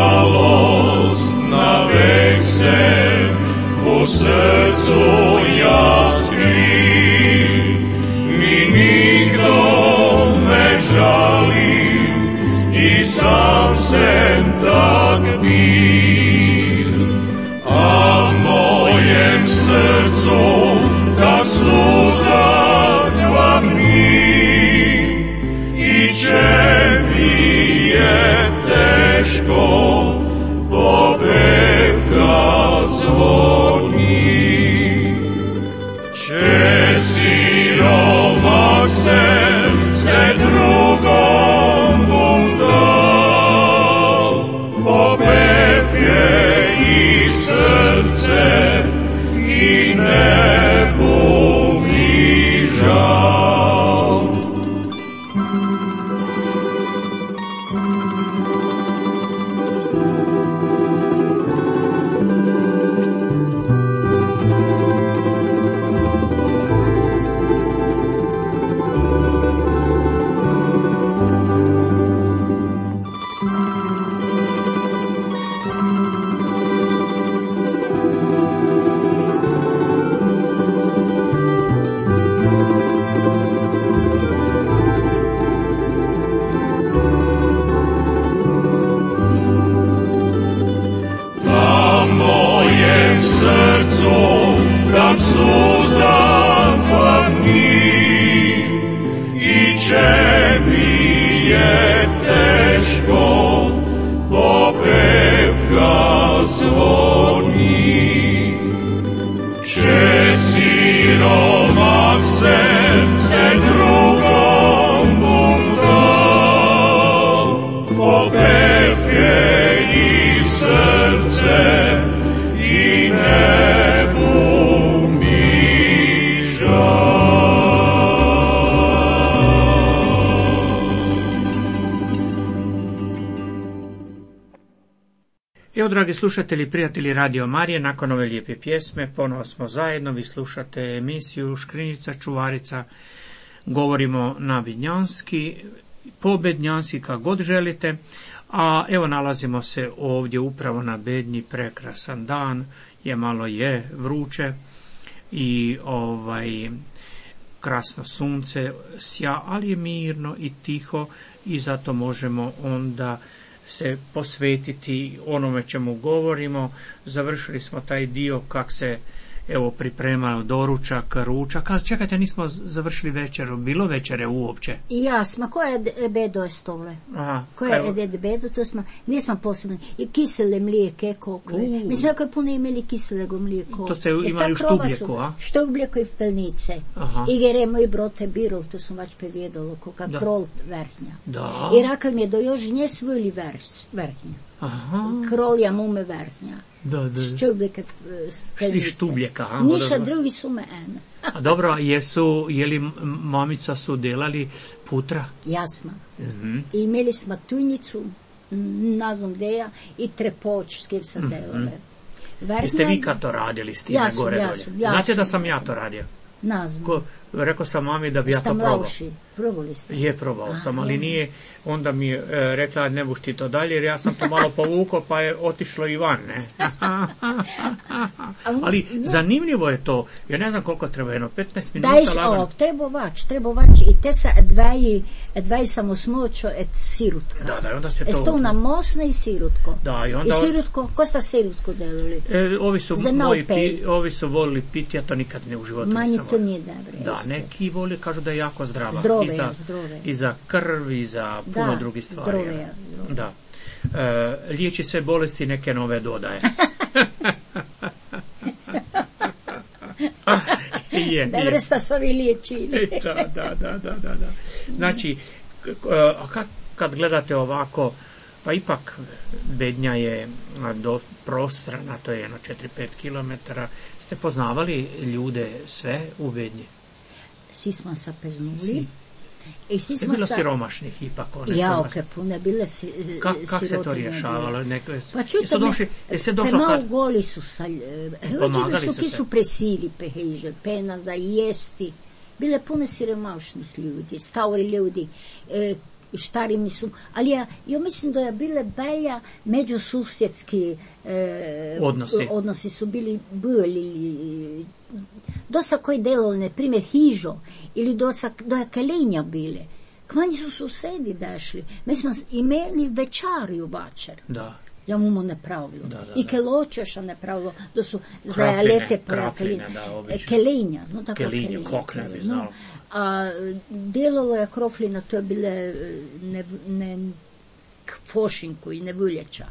[SPEAKER 4] tak bil, a v mojem srcu tak sluza kvapni, i če mi je teško, popevka zvoni. Če siromak sem se drugom bom dal, popevke i srce i ne bo mi žal. Tam suza kvapni, i če mi je teško, popevka zvoni. Če siromak sem se drugom bom dal, popevke i srce i ne bo mi žal.
[SPEAKER 2] Evo, dragi slušatelji, prijatelji Radio Marije, nakon ove lijepe pjesme ponovo smo zajedno. Vi slušate emisiju Škrinjica čuvarica. Govorimo na vidnjanski, po bednjanski, kako god želite. A evo, nalazimo se ovdje upravo na Bednji, prekrasan dan, je malo je vruće i ovaj krasno sunce sja, ali je mirno i tiho i zato možemo onda se posvetiti onome čemu govorimo. Završili smo taj dio kak se evo pripremao doručak, ručak. A čekajte, nismo završili večeru. Bilo večere uopće?
[SPEAKER 3] Jasno, koje je bedo je stole?
[SPEAKER 2] Aha.
[SPEAKER 3] Koje je bedo, to smo, nismo posebno. I kisele mlijeke, kokle. Uh. Mi smo jako puno imali kiselego mlijeko.
[SPEAKER 2] To ste imali u štubljeku, a?
[SPEAKER 3] Štubljeko i v pelnice.
[SPEAKER 2] Aha.
[SPEAKER 3] I geremo i brote birol, to sam vač pevijedalo, koka
[SPEAKER 2] da.
[SPEAKER 3] Krol vrhnja.
[SPEAKER 2] Da.
[SPEAKER 3] I raka mi je do još nje svojili vrhnja. Aha. Krol ja mume vrhnja.
[SPEAKER 2] Da, da.
[SPEAKER 3] Štubljeke pelnice.
[SPEAKER 2] Štubljeka, aha.
[SPEAKER 3] Niša drugi su me ene.
[SPEAKER 2] A dobro, jesu, je li mamica su delali putra?
[SPEAKER 3] Jasno.
[SPEAKER 2] Mm-hmm.
[SPEAKER 3] I imeli smo tujnicu, nazvom deja, i trepoč, s kim sam mm-hmm. delale. Verna,
[SPEAKER 2] jeste vi kad to radili s time
[SPEAKER 3] jasno,
[SPEAKER 2] gore
[SPEAKER 3] jasno,
[SPEAKER 2] dolje?
[SPEAKER 3] jasno.
[SPEAKER 2] Znate da sam ja to radio?
[SPEAKER 3] Nazvam.
[SPEAKER 2] Ko, rekao sam mami da bi ja to
[SPEAKER 3] Stam
[SPEAKER 2] probao.
[SPEAKER 3] lauši. Probali ste?
[SPEAKER 2] Je, probao sam, ali nije, onda mi je e, rekla ne buš ti to dalje, jer ja sam to malo povukao pa je otišlo i van, ne? Ali zanimljivo je to, ja ne znam koliko treba, jedno petnaest minuta
[SPEAKER 3] Dajš,
[SPEAKER 2] lagano.
[SPEAKER 3] o, treba vač, treba vač i te sa dvaji, dvaji samosnoćo et sirutka.
[SPEAKER 2] Da, da, onda se to...
[SPEAKER 3] Esto na mosne i sirutko.
[SPEAKER 2] Da, i onda...
[SPEAKER 3] I sirutko, ko sta sirutko delali?
[SPEAKER 2] E, ovi su
[SPEAKER 3] Za
[SPEAKER 2] moji,
[SPEAKER 3] naupej.
[SPEAKER 2] pi, ovi su volili piti, ja to nikad ne u životu
[SPEAKER 3] Manji
[SPEAKER 2] nisam
[SPEAKER 3] to
[SPEAKER 2] volio.
[SPEAKER 3] nije dobro.
[SPEAKER 2] Da,
[SPEAKER 3] jeste.
[SPEAKER 2] neki voli, kažu da je jako zdrava.
[SPEAKER 3] Zdrave,
[SPEAKER 2] I za,
[SPEAKER 3] zdrave.
[SPEAKER 2] I za krv, i za puno
[SPEAKER 3] Da,
[SPEAKER 2] drugih stvari.
[SPEAKER 3] zdrave, zdrave.
[SPEAKER 2] Da. E, liječi sve bolesti, neke nove dodaje. je,
[SPEAKER 3] Da
[SPEAKER 2] je.
[SPEAKER 3] vrsta su ovi liječili.
[SPEAKER 2] da, da, da, da, da, da. Znači, a kad, kad gledate ovako, pa ipak Bednja je do prostrana, to je jedno četiri do pet kilometara. Ste poznavali ljude sve u Bednji?
[SPEAKER 3] Svi smo se peznuli.
[SPEAKER 2] Si.
[SPEAKER 3] I svi
[SPEAKER 2] Je
[SPEAKER 3] smo
[SPEAKER 2] bilo
[SPEAKER 3] sa...
[SPEAKER 2] siromašnih ipak. One
[SPEAKER 3] Ja,
[SPEAKER 2] siromašne.
[SPEAKER 3] ok, puno bile si,
[SPEAKER 2] Ka, Kako se to
[SPEAKER 3] sirotinje
[SPEAKER 2] rješavalo? Neko,
[SPEAKER 3] Pa čujte,
[SPEAKER 2] jesu došli, jeste došlo
[SPEAKER 3] malo
[SPEAKER 2] kad...
[SPEAKER 3] goli su sa...
[SPEAKER 2] Pomagali
[SPEAKER 3] Hoće
[SPEAKER 2] su
[SPEAKER 3] su ki
[SPEAKER 2] se.
[SPEAKER 3] su presili peheže, pena za jesti. Bile puno siromašnih ljudi, stari ljudi, e, štari mi su, ali ja, ja mislim da je bile belja međususjedski e,
[SPEAKER 2] Odnosi.
[SPEAKER 3] odnosi su bili bili dosta koji delali, na primjer hižo ili dosta doja kalenja bile. Kmanji su susedi dešli. Mi smo imeli večariju večer.
[SPEAKER 2] Da.
[SPEAKER 3] Ja mu mu ne pravilo.
[SPEAKER 2] Da, da,
[SPEAKER 3] I
[SPEAKER 2] da.
[SPEAKER 3] keločeša ne pravilo, da su
[SPEAKER 2] Krapline,
[SPEAKER 3] zajalete
[SPEAKER 2] krapline,
[SPEAKER 3] krapline.
[SPEAKER 2] da, obično.
[SPEAKER 3] Kelinja, zno tako
[SPEAKER 2] Kelinja,
[SPEAKER 3] kelinja.
[SPEAKER 2] kak ne bi
[SPEAKER 3] no.
[SPEAKER 2] znao.
[SPEAKER 3] A delalo je kroflina, to je bile ne, ne fošinku i ne vuljeća.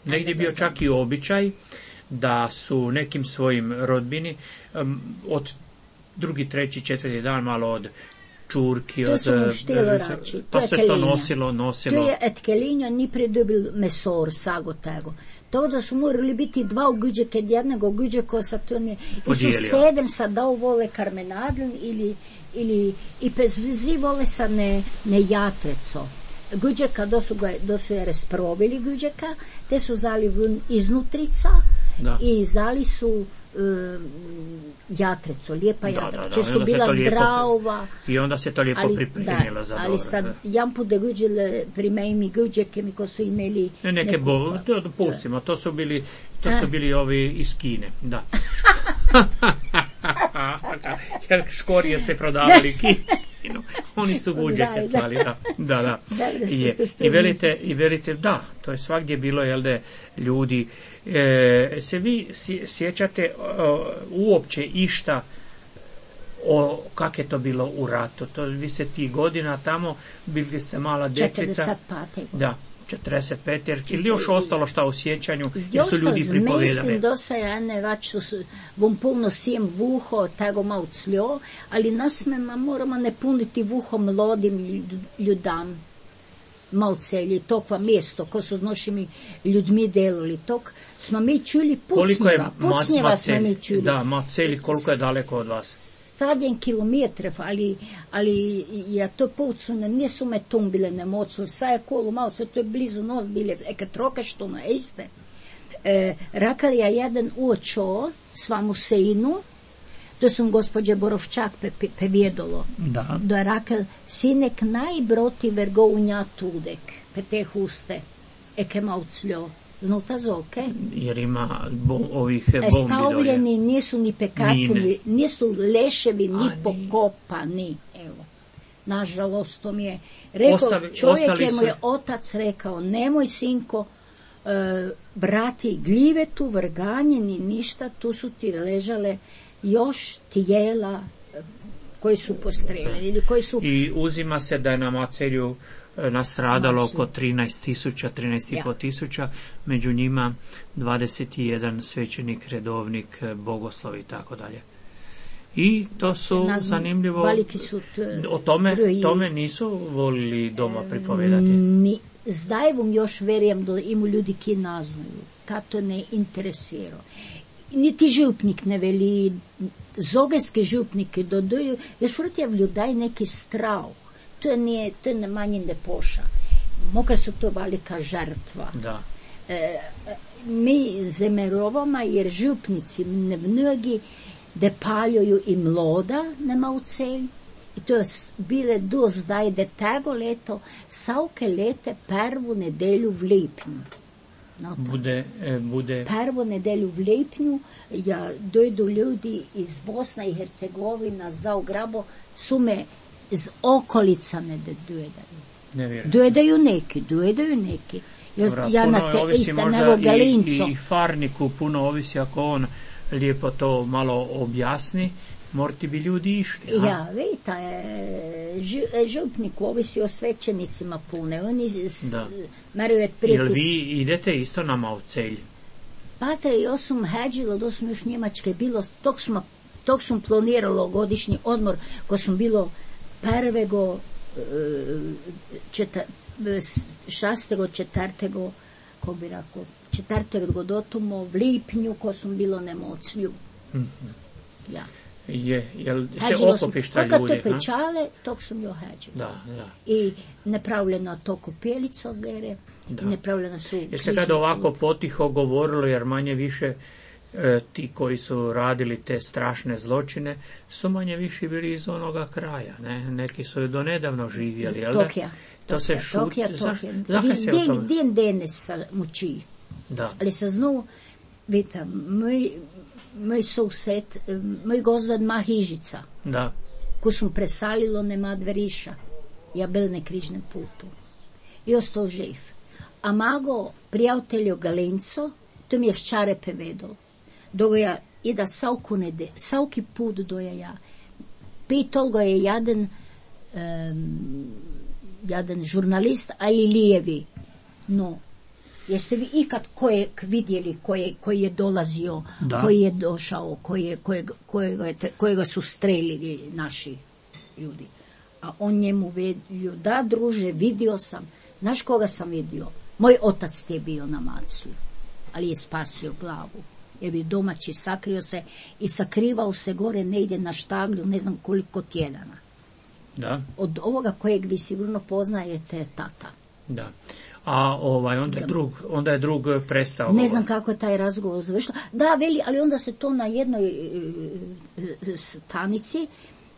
[SPEAKER 2] Negdje je bio čak i običaj da su nekim svojim rodbini um, od drugi, treći, četvrti dan malo od čurki,
[SPEAKER 3] To
[SPEAKER 2] od...
[SPEAKER 3] su mu štilo rači, to
[SPEAKER 2] pa
[SPEAKER 3] je
[SPEAKER 2] se
[SPEAKER 3] kelinja.
[SPEAKER 2] to nosilo, nosilo.
[SPEAKER 3] To je et kelinja, ni pridobil mesor, sago tego. To da su morali biti dva uguđe kad jednog uguđe ko sa to ne... I su
[SPEAKER 2] Podijelio.
[SPEAKER 3] sedem sa dao vole karmenadlin ili, ili i pezvizi vole sa ne, ne jatreco. Guđeka, do su, ga, do su je rasprovili guđeka, te su zali vun iznutrica
[SPEAKER 2] Da.
[SPEAKER 3] i zali su um, jatreco, lijepa
[SPEAKER 2] Da,
[SPEAKER 3] jatreca,
[SPEAKER 2] da, da,
[SPEAKER 3] če
[SPEAKER 2] i
[SPEAKER 3] su
[SPEAKER 2] onda se
[SPEAKER 3] bila
[SPEAKER 2] to lijepo-
[SPEAKER 3] zdrava.
[SPEAKER 2] I onda se to lijepo
[SPEAKER 3] Ali,
[SPEAKER 2] pripremilo
[SPEAKER 3] da,
[SPEAKER 2] za
[SPEAKER 3] ali
[SPEAKER 2] dobro.
[SPEAKER 3] sad,
[SPEAKER 2] da.
[SPEAKER 3] jedan put da guđele primejmi guđeke mi ko su imeli
[SPEAKER 2] Ne, neke
[SPEAKER 3] neku-
[SPEAKER 2] bo, to dopustimo, to su bili, to su
[SPEAKER 3] A.
[SPEAKER 2] bili ovi iz Kine, da. Jer škorije ste prodavali Kinu, oni su guđeke
[SPEAKER 3] Znaju, da.
[SPEAKER 2] slali, da, da, da.
[SPEAKER 3] Dobro ste
[SPEAKER 2] Je.
[SPEAKER 3] se s
[SPEAKER 2] I
[SPEAKER 3] tim
[SPEAKER 2] velite, i velite, da, to je svagdje bilo, jel da, ljudi, e, se vi sje- sjećate o, uopće išta o kak je to bilo u ratu, to vi ste ti godina tamo, bili ste mala dječica.
[SPEAKER 3] četrdeset pet.
[SPEAKER 2] Da, četrdeset pet, jer ili još ostalo šta u sjećanju, jer
[SPEAKER 3] Jo
[SPEAKER 2] su ljudi
[SPEAKER 3] sam
[SPEAKER 2] pripovedali.
[SPEAKER 3] mislim da se ja ne vač su s- vom puno sijem vuho, tego malo cljo, ali nas me ma moramo ne puniti vuho mladim ljud- ljudam. Malcelji, tokva mjesto, ko su s našimi ljudmi delali, tok smo mi čuli
[SPEAKER 2] Koliko je
[SPEAKER 3] pucnjeva,
[SPEAKER 2] ma,
[SPEAKER 3] pucnjeva smo mi
[SPEAKER 2] Macelj,
[SPEAKER 3] čuli.
[SPEAKER 2] da, Macelj, koliko je daleko od vas?
[SPEAKER 3] Sadjen kilometrov, ali, ali ja to pucune, nisu me tumbile ne mocu, sa je kolo malo, se to je blizu nos bile, eke troke što na iste. E, rakal ja jedan uočo, svamu sejnu, to sam gospođe Borovčak pe, pe, pevjedolo.
[SPEAKER 2] Da.
[SPEAKER 3] Da je rakal, sinek najbroti vergo unja tudek, pe te huste, eke malo cljo. Znuta zoke.
[SPEAKER 2] Jer ima bo, ovih
[SPEAKER 3] E,
[SPEAKER 2] bombi dolje.
[SPEAKER 3] stavljeni nisu ni pekapuni,
[SPEAKER 2] Mine.
[SPEAKER 3] nisu leševi ni
[SPEAKER 2] A, ni.
[SPEAKER 3] pokopani. Evo. Nažalost, to mi je rekao,
[SPEAKER 2] Ostali-
[SPEAKER 3] čovjek
[SPEAKER 2] ostali
[SPEAKER 3] je mu
[SPEAKER 2] su-
[SPEAKER 3] je otac rekao, nemoj sinko, e, brati gljive tu vrganjeni, ništa, tu su ti ležale još tijela e, koji su postreljeni ili koji su...
[SPEAKER 2] I uzima se da je na Macelju e, nastradalo
[SPEAKER 3] Macelj.
[SPEAKER 2] oko trinaest tisuća, trinaest i pol
[SPEAKER 3] Ja.
[SPEAKER 2] tisuća, među njima dvadeset jedan svećenik, redovnik, e, bogoslov i tako dalje. I to su
[SPEAKER 3] Nazv-
[SPEAKER 2] zanimljivo,
[SPEAKER 3] veliki su t-
[SPEAKER 2] o tome,
[SPEAKER 3] broji.
[SPEAKER 2] tome nisu volili doma pripovedati.
[SPEAKER 3] Ni, zdaj vam još verijem da imu ljudi ki naznaju, ka to ne interesira. Niti župnik ne veli, zogerski župniki dodaju, još vrtjev ljudaj neki strah. To je, nije, to je ne manje ne poša. Moka su to velika žrtva.
[SPEAKER 2] Da.
[SPEAKER 3] E, mi zemerovama, jer župnici ne mnogi da paljuju i mloda nema u celj. I to je s- bile do zdaj, da tego leto, savke lete prvu nedelju v lipnju. No, tako.
[SPEAKER 2] Bude, e, bude
[SPEAKER 3] Prvu nedelju v lipnju ja, dojdu ljudi iz Bosna i Hercegovina za ugrabo, su me z okolica ne dojedaju.
[SPEAKER 2] nevjerojatno.
[SPEAKER 3] Dojedaju neki, dojedaju neki. Ja,
[SPEAKER 2] Dobra,
[SPEAKER 3] ja
[SPEAKER 2] puno
[SPEAKER 3] na te
[SPEAKER 2] ovisi
[SPEAKER 3] iste
[SPEAKER 2] možda
[SPEAKER 3] nego
[SPEAKER 2] i,
[SPEAKER 3] Galinco.
[SPEAKER 2] i, i farniku puno ovisi ako on lijepo to malo objasni, morti bi ljudi išli. a?
[SPEAKER 3] Ja, vidite, e, ži- župnik ovisi o svećenicima pune. Oni s-
[SPEAKER 2] Da.
[SPEAKER 3] meraju
[SPEAKER 2] Jel
[SPEAKER 3] pritis.
[SPEAKER 2] vi idete isto na Maucelj?
[SPEAKER 3] Patre, ja sam heđila, da sam još Njemačke bilo, tog sam, tog sam planiralo godišnji odmor, ko sam bilo prvego, e, četa, e, šastego, četrtego, ko bi rekao, četrtego dotumo, v lipnju, ko sam bilo nemoclju. Ja.
[SPEAKER 2] Je, jel se
[SPEAKER 3] Heđila sam,
[SPEAKER 2] okopiš taj
[SPEAKER 3] kad
[SPEAKER 2] ljudi?
[SPEAKER 3] to
[SPEAKER 2] ha?
[SPEAKER 3] pričale, tog sam jo heđila.
[SPEAKER 2] Da, da.
[SPEAKER 3] I nepravljeno to kopelico gere,
[SPEAKER 2] Da.
[SPEAKER 3] i nepravljeno su
[SPEAKER 2] Jer se
[SPEAKER 3] križni
[SPEAKER 2] kad ovako
[SPEAKER 3] put.
[SPEAKER 2] potiho govorilo, jer manje više e, ti koji su radili te strašne zločine su manje više bili iz onoga kraja. Ne? Neki su do nedavno živjeli, jel da?
[SPEAKER 3] Tokija.
[SPEAKER 2] To se
[SPEAKER 3] Tokija,
[SPEAKER 2] šut...
[SPEAKER 3] Tokija,
[SPEAKER 2] Zaš-
[SPEAKER 3] Tokija.
[SPEAKER 2] Zakaj se o
[SPEAKER 3] Den,
[SPEAKER 2] tome?
[SPEAKER 3] den denes sa muči.
[SPEAKER 2] Da.
[SPEAKER 3] Ali se znovu, vidite, moj, moj sused, eh, moj gozdod ma hižica,
[SPEAKER 2] Da.
[SPEAKER 3] ko sam presalilo nema dveriša. Ja bil na križnem putu. I ostao živ. a mago prijateljo Galenco, to mi je včare povedal. Doga je da savku nede, savki put doja ja. Pitol ga je jaden, um, jaden žurnalist, ali lijevi. No, jeste vi ikad kojeg vidjeli, koje, koji je dolazio, da. Koji je došao, koje, kojeg, kojega, kojega su strelili naši ljudi. A on njemu vedio, da druže, vidio sam. Znaš koga sam vidio? Moj otac ti je bio na Maclju, ali je spasio glavu. Jer bi domaći sakrio se i sakrivao se gore negdje na štaglju, ne znam koliko tjedana.
[SPEAKER 2] Da.
[SPEAKER 3] Od ovoga kojeg vi sigurno poznajete, tata.
[SPEAKER 2] Da. A ovaj, onda je drug, onda je drug prestao.
[SPEAKER 3] Ne znam kako je taj razgovor završio. Da, veli, ali onda se to na jednoj e, stanici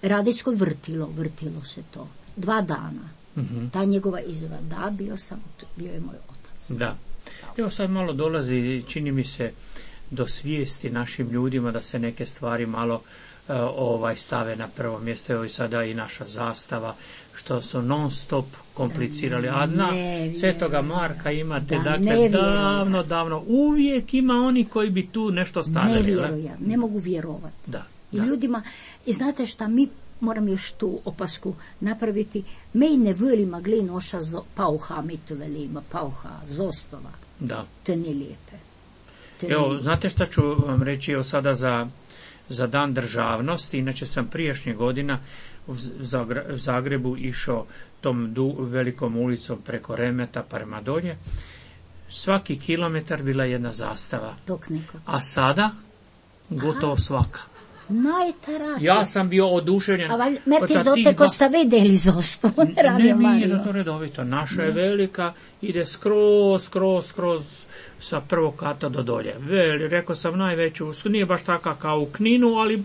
[SPEAKER 3] radijskoj vrtilo, vrtilo se to. Dva dana. Mm-hmm. Ta njegova izjava, da, bio sam, bio je moj otac.
[SPEAKER 2] Da. Evo sad malo dolazi, čini mi se, do svijesti našim ljudima da se neke stvari malo uh, ovaj stave na prvo mjesto. Evo i sada i naša zastava, što su non stop komplicirali. A na Svetoga Marka imate, da, dakle, davno, davno, uvijek ima oni koji bi tu nešto stavili.
[SPEAKER 3] Ne vjerujem, ne mogu vjerovati.
[SPEAKER 2] Da,
[SPEAKER 3] I
[SPEAKER 2] da.
[SPEAKER 3] ljudima, i znate šta, mi moram još tu opasku napraviti, me ne voli magli noša zo, pauha, mi to velimo, pauha, zostava.
[SPEAKER 2] Da.
[SPEAKER 3] To nije lijepe. To
[SPEAKER 2] Evo,
[SPEAKER 3] nije...
[SPEAKER 2] znate šta ću vam reći evo sada za, za dan državnosti, inače sam prijašnje godina u Zagrebu išao tom du, velikom ulicom preko Remeta prema dolje. Svaki kilometar bila jedna zastava.
[SPEAKER 3] Dok neko.
[SPEAKER 2] A sada gotovo Aha. svaka.
[SPEAKER 3] Najtarače.
[SPEAKER 2] Ja sam bio oduševljen.
[SPEAKER 3] A valj, merke zote ko ste vidjeli zostu.
[SPEAKER 2] Ne, mi je to redovito. Naša je velika, ide skroz, skroz, skroz sa prvog kata do dolje. Veli, rekao sam najveću, nije baš taka kao u Kninu, ali...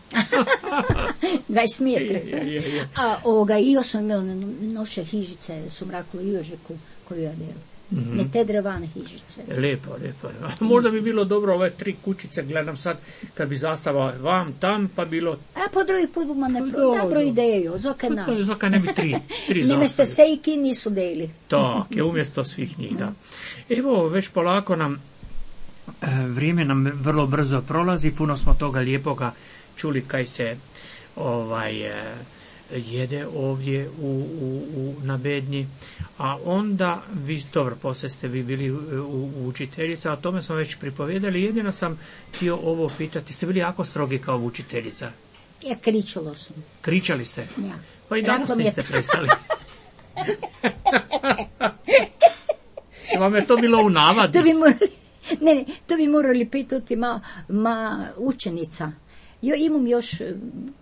[SPEAKER 3] dvadeset metri. A ovoga, i još sam imala noše hižice, su mraklo i ožeku koju ja delu. Mm-hmm. Ne te drevane hižice.
[SPEAKER 2] Lijepo, lijepo. Možda bi bilo dobro ove tri kućice, gledam sad, kad bi zastava vam, tam, pa bilo...
[SPEAKER 3] A po drugi put buma ne pro... Dobro ideju, zoka na.
[SPEAKER 2] Zoka ne bi tri, tri zastave.
[SPEAKER 3] Nime ste sejki nisu deli.
[SPEAKER 2] Tak, je umjesto svih njih, da. Evo, već polako nam, vrijeme nam vrlo brzo prolazi, puno smo toga lijepoga čuli kaj se ovaj... jede ovdje u, u, u, na Bednji, a onda vi, dobro, poslije ste vi bili u, u učiteljica, o tome smo već pripovjedali, jedino sam htio ovo pitati, ste bili jako strogi kao učiteljica?
[SPEAKER 3] Ja kričalo sam.
[SPEAKER 2] Kričali ste?
[SPEAKER 3] Ja.
[SPEAKER 2] Pa i danas niste prestali. Vam je to bilo u navadi?
[SPEAKER 3] To bi morali, ne, ne, to bi morali pitati ma, ma učenica. Jo, imam još,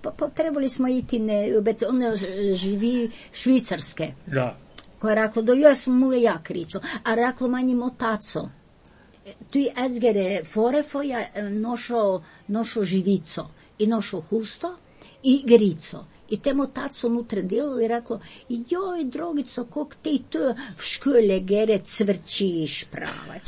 [SPEAKER 3] pa, pa trebali smo iti, ne, ona živi Švicarske.
[SPEAKER 2] Da.
[SPEAKER 3] Koja je rekla, da ja sam mu ja kričao, a rekla manjim otaco. Tu je ezgere forefoja nošo, nošo živico i nošo husto i grico. I temu otaco unutra delo i reklo, joj, drogico, kog ti tu v škole gere cvrčiš pravać.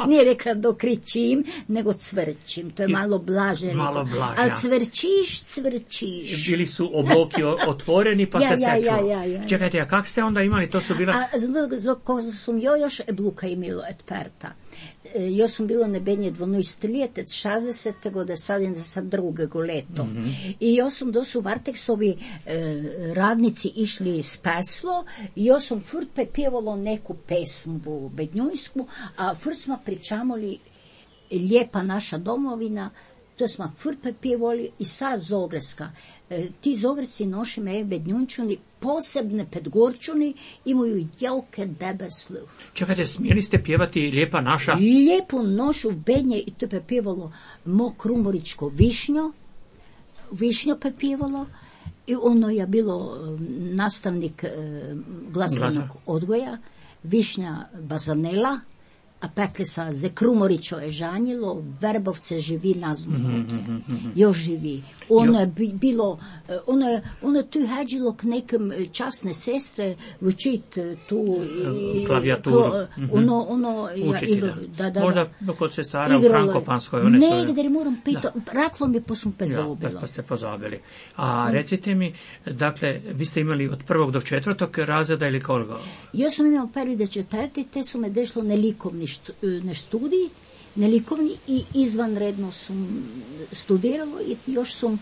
[SPEAKER 3] Nije rekla dokričim, nego cvrčim. To je malo blaže.
[SPEAKER 2] Malo blaže.
[SPEAKER 3] Ali cvrčiš, cvrčiš.
[SPEAKER 2] Bili su obloki otvoreni, pa
[SPEAKER 3] ja,
[SPEAKER 2] se
[SPEAKER 3] ja,
[SPEAKER 2] sečuo.
[SPEAKER 3] Ja, ja, ja.
[SPEAKER 2] Čekajte, a kak ste onda imali? To su bila...
[SPEAKER 3] A ko sam jo još ebluka imilo et perta. Jo sam bilo nebenje dvanajst let, šezdeset gode sad sa drugego leto. Mm-hmm. I jo sam do su Varteksovi e, radnici išli s peslo i jo sam furt pepjevalo neku pesmu bednjujsku, a furt smo pričamoli lijepa naša domovina, to smo furt pepjevali i sad Zogreska. E, ti Zogresi noši me bednjunčuni, posebne pedgorčuni, imaju jauke debe sluh.
[SPEAKER 2] Čekajte, smjeli ste pjevati Lijepa naša?
[SPEAKER 3] Lijepu nošu bednje i to je pjevalo mo krumoričko višnjo, višnjo pjevalo i ono je bilo nastavnik e, glazbenog odgoja, Višnja Bazanela, a pekli sa Zekrumorićo je žanjilo, Verbovce živi nazvno.
[SPEAKER 2] Mm-hmm, mm-hmm.
[SPEAKER 3] Još živi. Ono je bi, bilo, ono je, ono je tu hađilo k nekim časne sestre učit tu i,
[SPEAKER 2] klavijaturu.
[SPEAKER 3] Klo, ono, ono,
[SPEAKER 2] učiti,
[SPEAKER 3] ja, igro,
[SPEAKER 2] da.
[SPEAKER 3] da, da,
[SPEAKER 2] Možda kod sestara u Frankopanskoj. One
[SPEAKER 3] negdje su... moram pito, raklo mi pa sam pozabila.
[SPEAKER 2] Ja, pa ste pozabili. A recite mi, dakle, vi ste imali od prvog do četvrtog razreda ili koliko?
[SPEAKER 3] Ja sam imala prvi do četvrti, te su me dešlo nelikovni štu, ne studij, nelikovni i izvanredno sam studiralo i još sam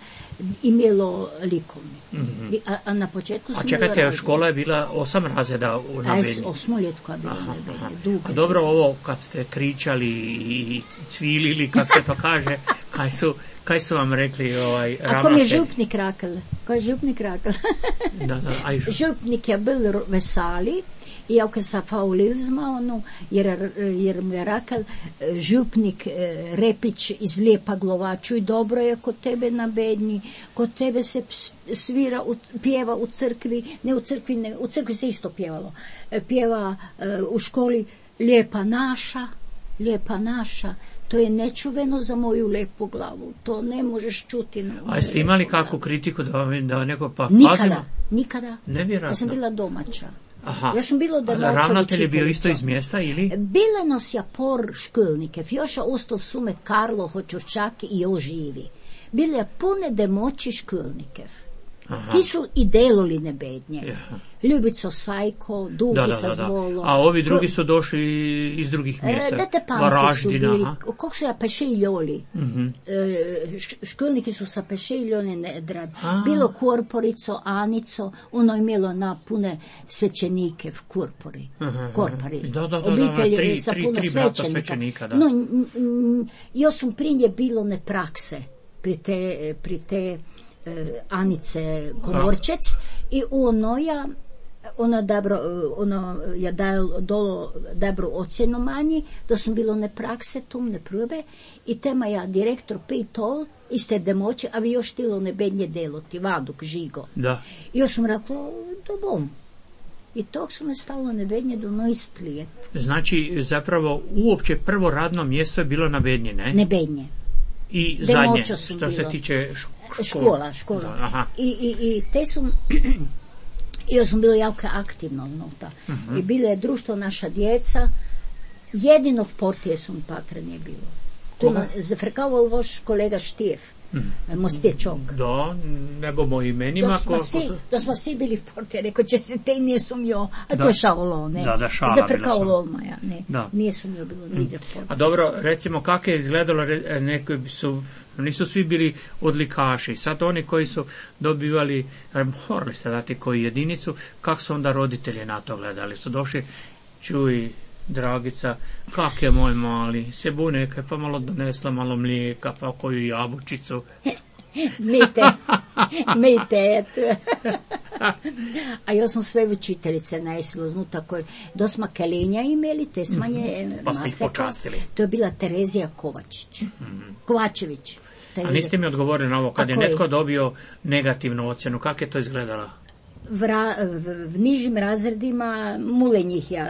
[SPEAKER 3] imelo likovni. Mm-hmm. A, a na početku sam
[SPEAKER 2] a čekajte, škola je bila osam razreda u Nabednji.
[SPEAKER 3] A osmoljetko je bila u Nabednji.
[SPEAKER 2] A dobro, ovo kad ste kričali i cvilili, kad se to kaže, kaj su, kaj su vam rekli ovaj, ravnatelj?
[SPEAKER 3] Ako mi je župnik rakal, ko je župnik rakal?
[SPEAKER 2] da, da, aj žup.
[SPEAKER 3] Župnik je bil vesali, iako sa faulizma, ono, jer, jer mu je rakal župnik Repić iz Lijepa Glova, čuj, dobro je kod tebe na Bednji, kod tebe se svira, pjeva u crkvi, ne u crkvi, ne, u crkvi se isto pjevalo, pjeva u školi Lijepa naša, Lijepa naša, to je nečuveno za moju lepu glavu, to ne možeš čuti. Na
[SPEAKER 2] a jeste imali kakvu kritiku da, da neko pa
[SPEAKER 3] nikada,
[SPEAKER 2] pazimo?
[SPEAKER 3] nikada,
[SPEAKER 2] nevjerojatno.
[SPEAKER 3] Ja sam bila domaća.
[SPEAKER 2] Aha.
[SPEAKER 3] Ja sam bilo domaća.
[SPEAKER 2] Ravnatelj je bio isto iz mjesta ili?
[SPEAKER 3] Bile nos ja por školnike, fjoša ostao sume Karlo Hočurčak i oživi. Bile pune demoći školnike.
[SPEAKER 2] Aha.
[SPEAKER 3] Ti su i deloli Nebednje.
[SPEAKER 2] Aha.
[SPEAKER 3] Ljubico Sajko, Dugi
[SPEAKER 2] da, da,
[SPEAKER 3] sa
[SPEAKER 2] da, da.
[SPEAKER 3] Zvolo.
[SPEAKER 2] A ovi drugi su došli iz drugih mjesta.
[SPEAKER 3] E, da te panci su bili, kako su ja pešeljoli.
[SPEAKER 2] Mm-hmm.
[SPEAKER 3] E, školniki su sa pešeljoli nedrad. Bilo Korporico, Anico, ono je imelo na pune svećenike v Korpori.
[SPEAKER 2] Aha,
[SPEAKER 3] Korpori.
[SPEAKER 2] Da, da, da,
[SPEAKER 3] obitelj
[SPEAKER 2] da, tri,
[SPEAKER 3] sa
[SPEAKER 2] tri,
[SPEAKER 3] puno
[SPEAKER 2] tri
[SPEAKER 3] svećenika.
[SPEAKER 2] svećenika, da.
[SPEAKER 3] No, n, n, jo sam prinje bilo ne prakse pri te, pri te Anice Komorčec i ono ja ono dobro, ono ja dal dolo dobru ocjenu manji, da sam bilo ne prakse tu, ne probe i tema ja direktor pitol iste demoće, a vi još tilo ne bednje deloti, Vaduk, Žigo.
[SPEAKER 2] Da.
[SPEAKER 3] I još sam rekla, do bom. I tog su me stalo Nebednje do noist lijet.
[SPEAKER 2] Znači, zapravo, uopće prvo radno mjesto je bilo na Bednje, ne?
[SPEAKER 3] Nebednje.
[SPEAKER 2] I
[SPEAKER 3] Demoća
[SPEAKER 2] zadnje,
[SPEAKER 3] su
[SPEAKER 2] što
[SPEAKER 3] bilo.
[SPEAKER 2] se tiče škola.
[SPEAKER 3] Škola, škola.
[SPEAKER 2] Da, aha.
[SPEAKER 3] I, i, i te su... I ja sam bila jako aktivna unutra. Uh-huh. I bilo je društvo naša djeca. Jedino v Portije sam patra nije bilo. Tu ima zafrkavao vaš kolega Štijef. Mm. Mostječok.
[SPEAKER 2] Da, ne bomo imenima.
[SPEAKER 3] Da smo, si, da smo svi bili v Portije. Rekao će se te nije sum jo. A da. To je šalo, ne.
[SPEAKER 2] Da, da, šala
[SPEAKER 3] zafrkao Lolmaja, ne.
[SPEAKER 2] Da.
[SPEAKER 3] Nije sum jo bilo nigdje v Portije.
[SPEAKER 2] A dobro, recimo kako je izgledalo, neki su, nisu svi bili odlikaši. Sad oni koji su dobivali, morali ste dati koju jedinicu, kako su onda roditelji na to gledali? Su došli, čuj, Dragica, kak je moj mali, se buneka, pa malo donesla malo mlijeka, pa koju jabučicu.
[SPEAKER 3] Mite, mite, eto. A ja sam sve učiteljice najsilo znuta koje dosma kelinja imeli, te smanje
[SPEAKER 2] mm-hmm. Pa ste ih počastili.
[SPEAKER 3] To je bila Terezija Kovačić. Mm-hmm. Kovačević.
[SPEAKER 2] A niste mi odgovorili na ovo, kad je netko dobio negativnu ocjenu, kako je to izgledalo?
[SPEAKER 3] Vra, v, v nižim razredima mule njih ja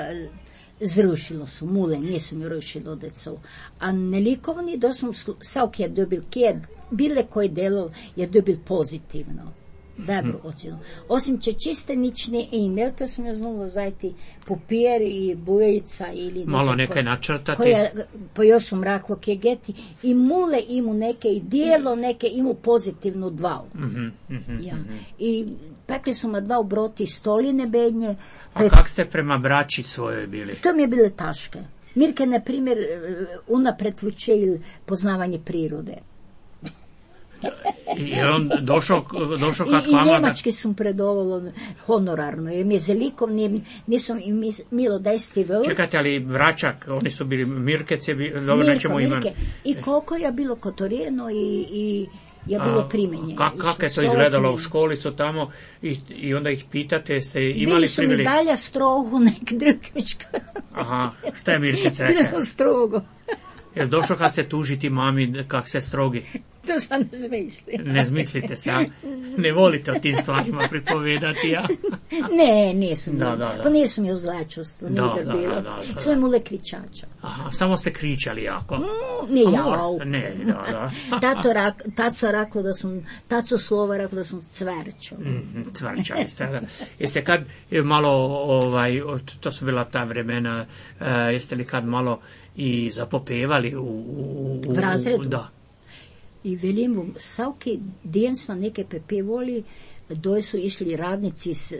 [SPEAKER 3] zrušilo su, mule, nisu mi rušilo decu. A nelikovni, da sam savk je dobil kjed, bile koji delo je dobil pozitivno. Dobro ocjenu. Osim će čiste nične e-mail, to sam ja znala zajti papir i bojica ili
[SPEAKER 2] malo nekaj načrtati.
[SPEAKER 3] Koja, pa još sam raklo kegeti i mule imu neke i dijelo neke imu pozitivnu dva.
[SPEAKER 2] Mm-hmm, mm-hmm,
[SPEAKER 3] ja.
[SPEAKER 2] mm-hmm.
[SPEAKER 3] I pekli su ma dva obroti stoline bednje.
[SPEAKER 2] Pred... A kak ste prema braći svojoj bili?
[SPEAKER 3] To mi je bile taške. Mirke, na primjer, unapred vučil poznavanje prirode.
[SPEAKER 2] I on došao, došao kad
[SPEAKER 3] I, i njemački sam predovalo honorarno, jer mi je zelikom, nisam im milo desti vel.
[SPEAKER 2] Čekajte, ali vračak, oni su bili Mirkece, dobro
[SPEAKER 3] Mirka,
[SPEAKER 2] nećemo iman.
[SPEAKER 3] Mirke. I koliko je bilo kotorijeno i, i je bilo primenje.
[SPEAKER 2] Ka, kako je to izgledalo u školi, su tamo i, i onda ih pitate, ste imali
[SPEAKER 3] bili su
[SPEAKER 2] privilegij?
[SPEAKER 3] mi dalja strogu nek drugička.
[SPEAKER 2] Aha, šta je Mirkec rekao?
[SPEAKER 3] Bili su strogo.
[SPEAKER 2] Jer došao kad se tužiti mami, kak se strogi?
[SPEAKER 3] To sam ne zmislim.
[SPEAKER 2] Ne zmislite se, a? Ne volite o tim stvarima pripovedati, ja?
[SPEAKER 3] Ne, nisu mi.
[SPEAKER 2] Da, da, da.
[SPEAKER 3] Pa nisu mi o zlačostu,
[SPEAKER 2] Da,
[SPEAKER 3] nije
[SPEAKER 2] da,
[SPEAKER 3] bilo.
[SPEAKER 2] da, da, da.
[SPEAKER 3] Sve mule kričača.
[SPEAKER 2] Aha, samo ste kričali jako.
[SPEAKER 3] Mm, nije
[SPEAKER 2] A
[SPEAKER 3] ja.
[SPEAKER 2] mora- Ne, da, da.
[SPEAKER 3] Tato, rak, taco rekao da sam, taco slova rekao da sam cverčao.
[SPEAKER 2] Mhm, Cvrčali ste, da. Jeste kad e, malo, ovaj, to su bila ta vremena, e, jeste li kad malo i zapopevali u... u, u
[SPEAKER 3] V razredu?
[SPEAKER 2] Da.
[SPEAKER 3] I velim vam, svaki dan smo neke pepevali, doj su išli radnici, s, e,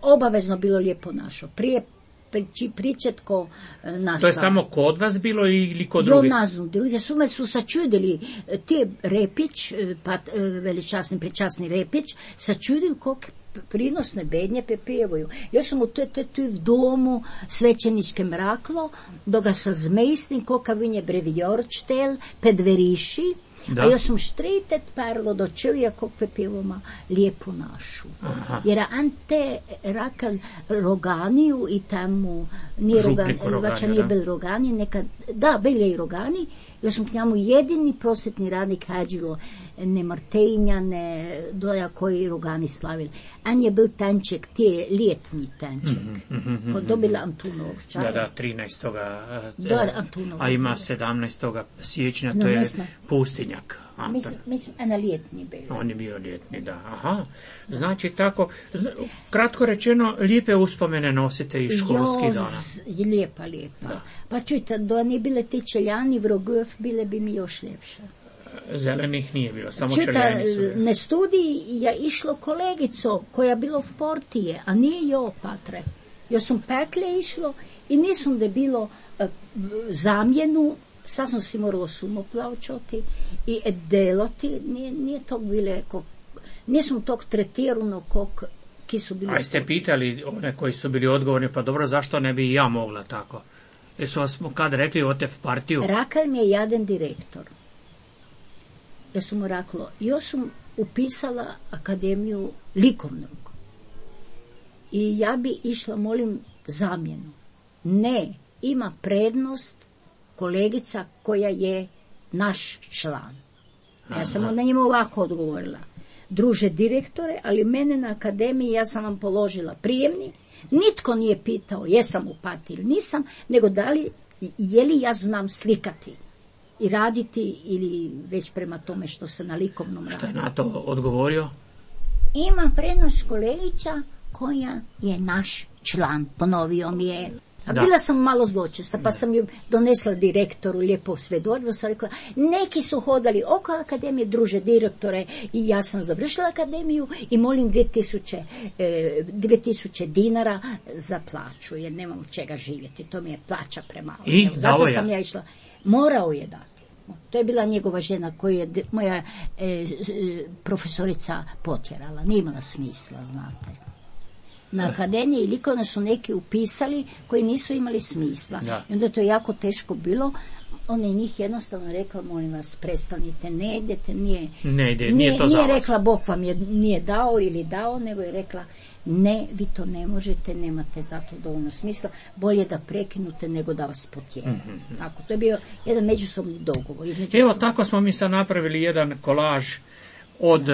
[SPEAKER 3] obavezno bilo lijepo našo. Prije priči, pričetko e, nastava.
[SPEAKER 2] To je samo kod vas bilo ili kod
[SPEAKER 3] Jo,
[SPEAKER 2] drugih?
[SPEAKER 3] naznu, drugi su me su sačudili, te Repić, e, pa, e, veličasni, pričasni Repić, sačudili koliko prinosne bednje pepevaju. Ja sam u toj tu v domu svećeničke mraklo, dok ga sa zmejstim koka vinje brevijorčtel, pedveriši,
[SPEAKER 2] Da.
[SPEAKER 3] a ja sam štretet parlo do čovjeka kog pepevoma lijepu našu.
[SPEAKER 2] Aha.
[SPEAKER 3] Jer ante rakal Roganiju i tamo nije Rogani,
[SPEAKER 2] Župniku Roganiju,
[SPEAKER 3] vača nije
[SPEAKER 2] da.
[SPEAKER 3] bil Rogani, nekad, da, bili i Rogani, ja sam k njemu jedini prosvetni radnik hađilo, ne Martejnja, ne doja koji Rogani slavili. An je bil tanček, te ljetni tanček,
[SPEAKER 2] Mhm, mhm, mhm,
[SPEAKER 3] kod dobila Antunovča.
[SPEAKER 2] Da, da, trinaestog
[SPEAKER 3] Da, Antunov.
[SPEAKER 2] a ima sedamnaestog siječnja,
[SPEAKER 3] No,
[SPEAKER 2] to
[SPEAKER 3] ne
[SPEAKER 2] je
[SPEAKER 3] znam.
[SPEAKER 2] pustinjak. A,
[SPEAKER 3] Mislim, mislim, a na ljetni bili.
[SPEAKER 2] On je bio ljetni, da. Aha. Znači tako, zna- kratko rečeno, lijepe uspomene nosite iz školskih
[SPEAKER 3] Jo,
[SPEAKER 2] dana.
[SPEAKER 3] z- lijepa, lijepa.
[SPEAKER 2] Da.
[SPEAKER 3] Pa čujte, da nije bile te čeljani vrogov, bile bi mi još ljepše.
[SPEAKER 2] Zelenih nije bilo, samo
[SPEAKER 3] Čujte,
[SPEAKER 2] čeljani su bili.
[SPEAKER 3] na studiji je išlo kolegico koja bilo v Portije, a nije jo, patre. Jo sam pekle išlo i nisam da bilo eh, zamjenu, sad sam si moralo sumo plavčoti i deloti, nije, nije tog bile, kog, nisam tog tretirano kog ki su bili.
[SPEAKER 2] A jeste pitali one koji su bili odgovorni, pa dobro, zašto ne bi i ja mogla tako? Jesu vas kad rekli o te v partiju?
[SPEAKER 3] Rakal mi je jedan direktor. Ja sam mu rekla, ja sam upisala akademiju likovnog. I ja bi išla, molim, zamjenu. Ne, ima prednost kolegica koja je naš član. Ja sam na njima ovako odgovorila. Druže direktore, ali mene na akademiji, ja sam vam položila prijemni, nitko nije pitao jesam u partiji ili nisam, nego da li, je li ja znam slikati i raditi ili već prema tome što se na likovnom
[SPEAKER 2] Što je
[SPEAKER 3] radi.
[SPEAKER 2] na to odgovorio?
[SPEAKER 3] Ima prednost kolegica koja je naš član, ponovio mi je. A
[SPEAKER 2] Da.
[SPEAKER 3] bila sam malo zločesta, pa sam ju donesla direktoru lijepo svjedočbu, sam rekla, neki su hodali oko akademije, druže direktore, i ja sam završila akademiju i molim dvije tisuće, e, dvije tisuće dinara za plaću, jer nemam od čega živjeti, to mi je plaća premalo.
[SPEAKER 2] I?
[SPEAKER 3] Evo, zato
[SPEAKER 2] Dao je?
[SPEAKER 3] sam ja išla, morao je dati. To je bila njegova žena koju je de- moja e, e, profesorica potjerala, nije imala smisla, znate. Na akademiji likovne su neki upisali koji nisu imali smisla.
[SPEAKER 2] Da.
[SPEAKER 3] I onda to je jako teško bilo. Ona je njih jednostavno rekla, molim vas, prestanite, ne idete, nije,
[SPEAKER 2] Ne ide, nije to za
[SPEAKER 3] nije
[SPEAKER 2] vas.
[SPEAKER 3] rekla, Bog vam je nije dao ili dao, nego je rekla, ne, vi to ne možete, nemate za to dovoljno smisla, bolje da prekinute nego da vas potjera. Tako, to je bio jedan međusobni dogovor. Između
[SPEAKER 2] Evo, tako smo mi sad napravili jedan kolaž od, e,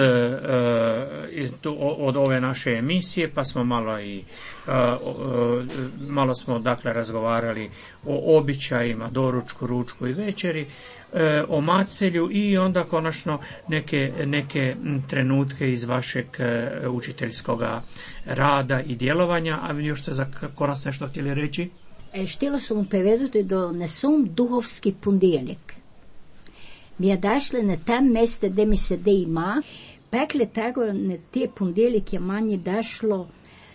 [SPEAKER 2] e, tu- od ove naše emisije, pa smo malo i e, o- e, malo smo dakle razgovarali o običajima, doručku, ručku i večeri, e, o macelju i onda konačno neke, neke m, trenutke iz vašeg e, učiteljskog rada i djelovanja. A vi još ste za koras nešto htjeli reći?
[SPEAKER 3] E, štila sam mu povedati da nesum duhovski ponedjeljek. Mi je dašle na tem meste, gdje mi se de ima, pekle tego na te ponedjeljek je manje dašlo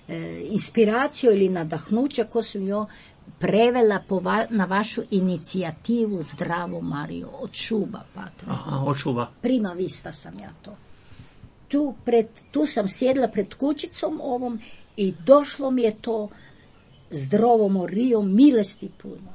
[SPEAKER 3] e, inspiraciju ili nadahnuće, ko sam jo prevela po va, na vašu inicijativu Zdravo Mario, od Šuba, patra.
[SPEAKER 2] Aha, od Šuba.
[SPEAKER 3] Prima vista sam ja to. Tu, pred, tu sam sjedla pred kućicom ovom i došlo mi je to Zdravo Mario, milosti puno.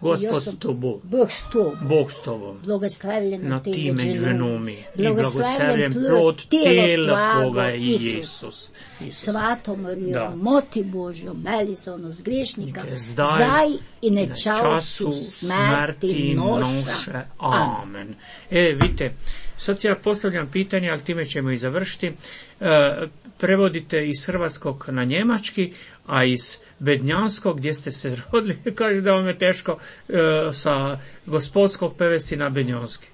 [SPEAKER 2] Gospod s tobom.
[SPEAKER 3] Bog s tobom.
[SPEAKER 2] Bog s tobom.
[SPEAKER 3] Blagoslavljeno
[SPEAKER 2] Na
[SPEAKER 3] te
[SPEAKER 2] ti
[SPEAKER 3] među
[SPEAKER 2] među
[SPEAKER 3] ženama.
[SPEAKER 2] ženami. I
[SPEAKER 3] Blagoslavljen
[SPEAKER 2] blagoslavljen
[SPEAKER 3] plod
[SPEAKER 2] plod
[SPEAKER 3] tijela
[SPEAKER 2] tijela
[SPEAKER 3] tvoga,
[SPEAKER 2] tvoga i
[SPEAKER 3] Isus.
[SPEAKER 2] Isus. Isus.
[SPEAKER 3] Svato Marijo,
[SPEAKER 2] Da.
[SPEAKER 3] moti Božjo, meli za ono zgrešnika,
[SPEAKER 2] Neke
[SPEAKER 3] zdaj,
[SPEAKER 2] zdaj
[SPEAKER 3] i
[SPEAKER 2] na
[SPEAKER 3] na času smrti noša.
[SPEAKER 2] Amen. E, vidite, sad ja postavljam pitanje, ali time ćemo i završiti. E, prevodite iz hrvatskog na njemački, a iz bednjanskog, gdje ste se rodili, kaže da vam je teško e, sa gospodskog prevesti na bednjanski.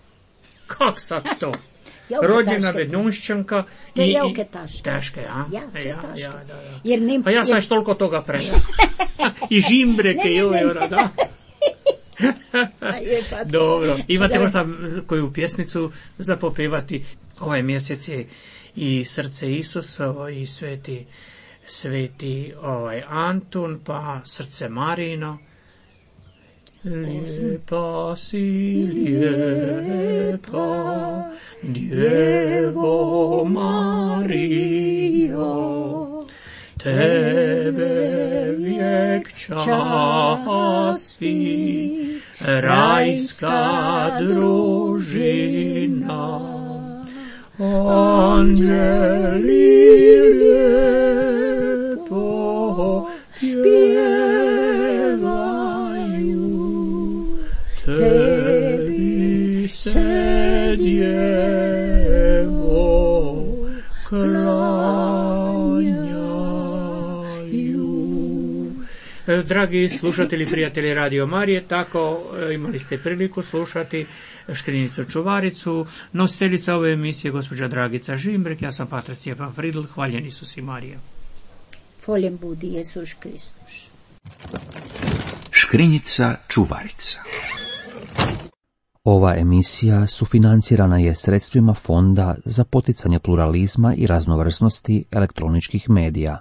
[SPEAKER 2] Kak sad to? Rođena bednjunšćanka
[SPEAKER 3] To je
[SPEAKER 2] i,
[SPEAKER 3] jako
[SPEAKER 2] i
[SPEAKER 3] teško.
[SPEAKER 2] teške, a?
[SPEAKER 3] Ja, to je
[SPEAKER 2] ja,
[SPEAKER 3] teško.
[SPEAKER 2] ja, da, da.
[SPEAKER 3] Jer nim,
[SPEAKER 2] A ja sam
[SPEAKER 3] jer-
[SPEAKER 2] još toliko toga prešao. I žimbreke,
[SPEAKER 3] Ne, ne,
[SPEAKER 2] joj,
[SPEAKER 3] ne.
[SPEAKER 2] ora, da.
[SPEAKER 3] A je, pa-
[SPEAKER 2] Dobro, imate
[SPEAKER 3] Da.
[SPEAKER 2] možda koju pjesmicu za popevati? Ovaj mjesec je i srce Isusovo i sveti, sveti ovaj Antun, pa srce Marino. Lijepa si, lijepa, Djevo Marijo, tebe vijek časti, rajska družina, anđeli lijepo pjevaju, tebi se Djevo klanjaju. E, Dragi slušatelji, prijatelji Radio Marije, tako e, imali ste priliku slušati Škrinicu Čuvaricu, nositeljica ove emisije gospođa Dragica Žimbrek, ja sam patar Stjepan Fridl, hvaljen Isus i Marija.
[SPEAKER 3] Foljem budi Jezus Kristus.
[SPEAKER 1] Škrinjica Čuvarica.
[SPEAKER 5] Ova emisija sufinancirana je sredstvima Fonda za poticanje pluralizma i raznovrsnosti elektroničkih medija.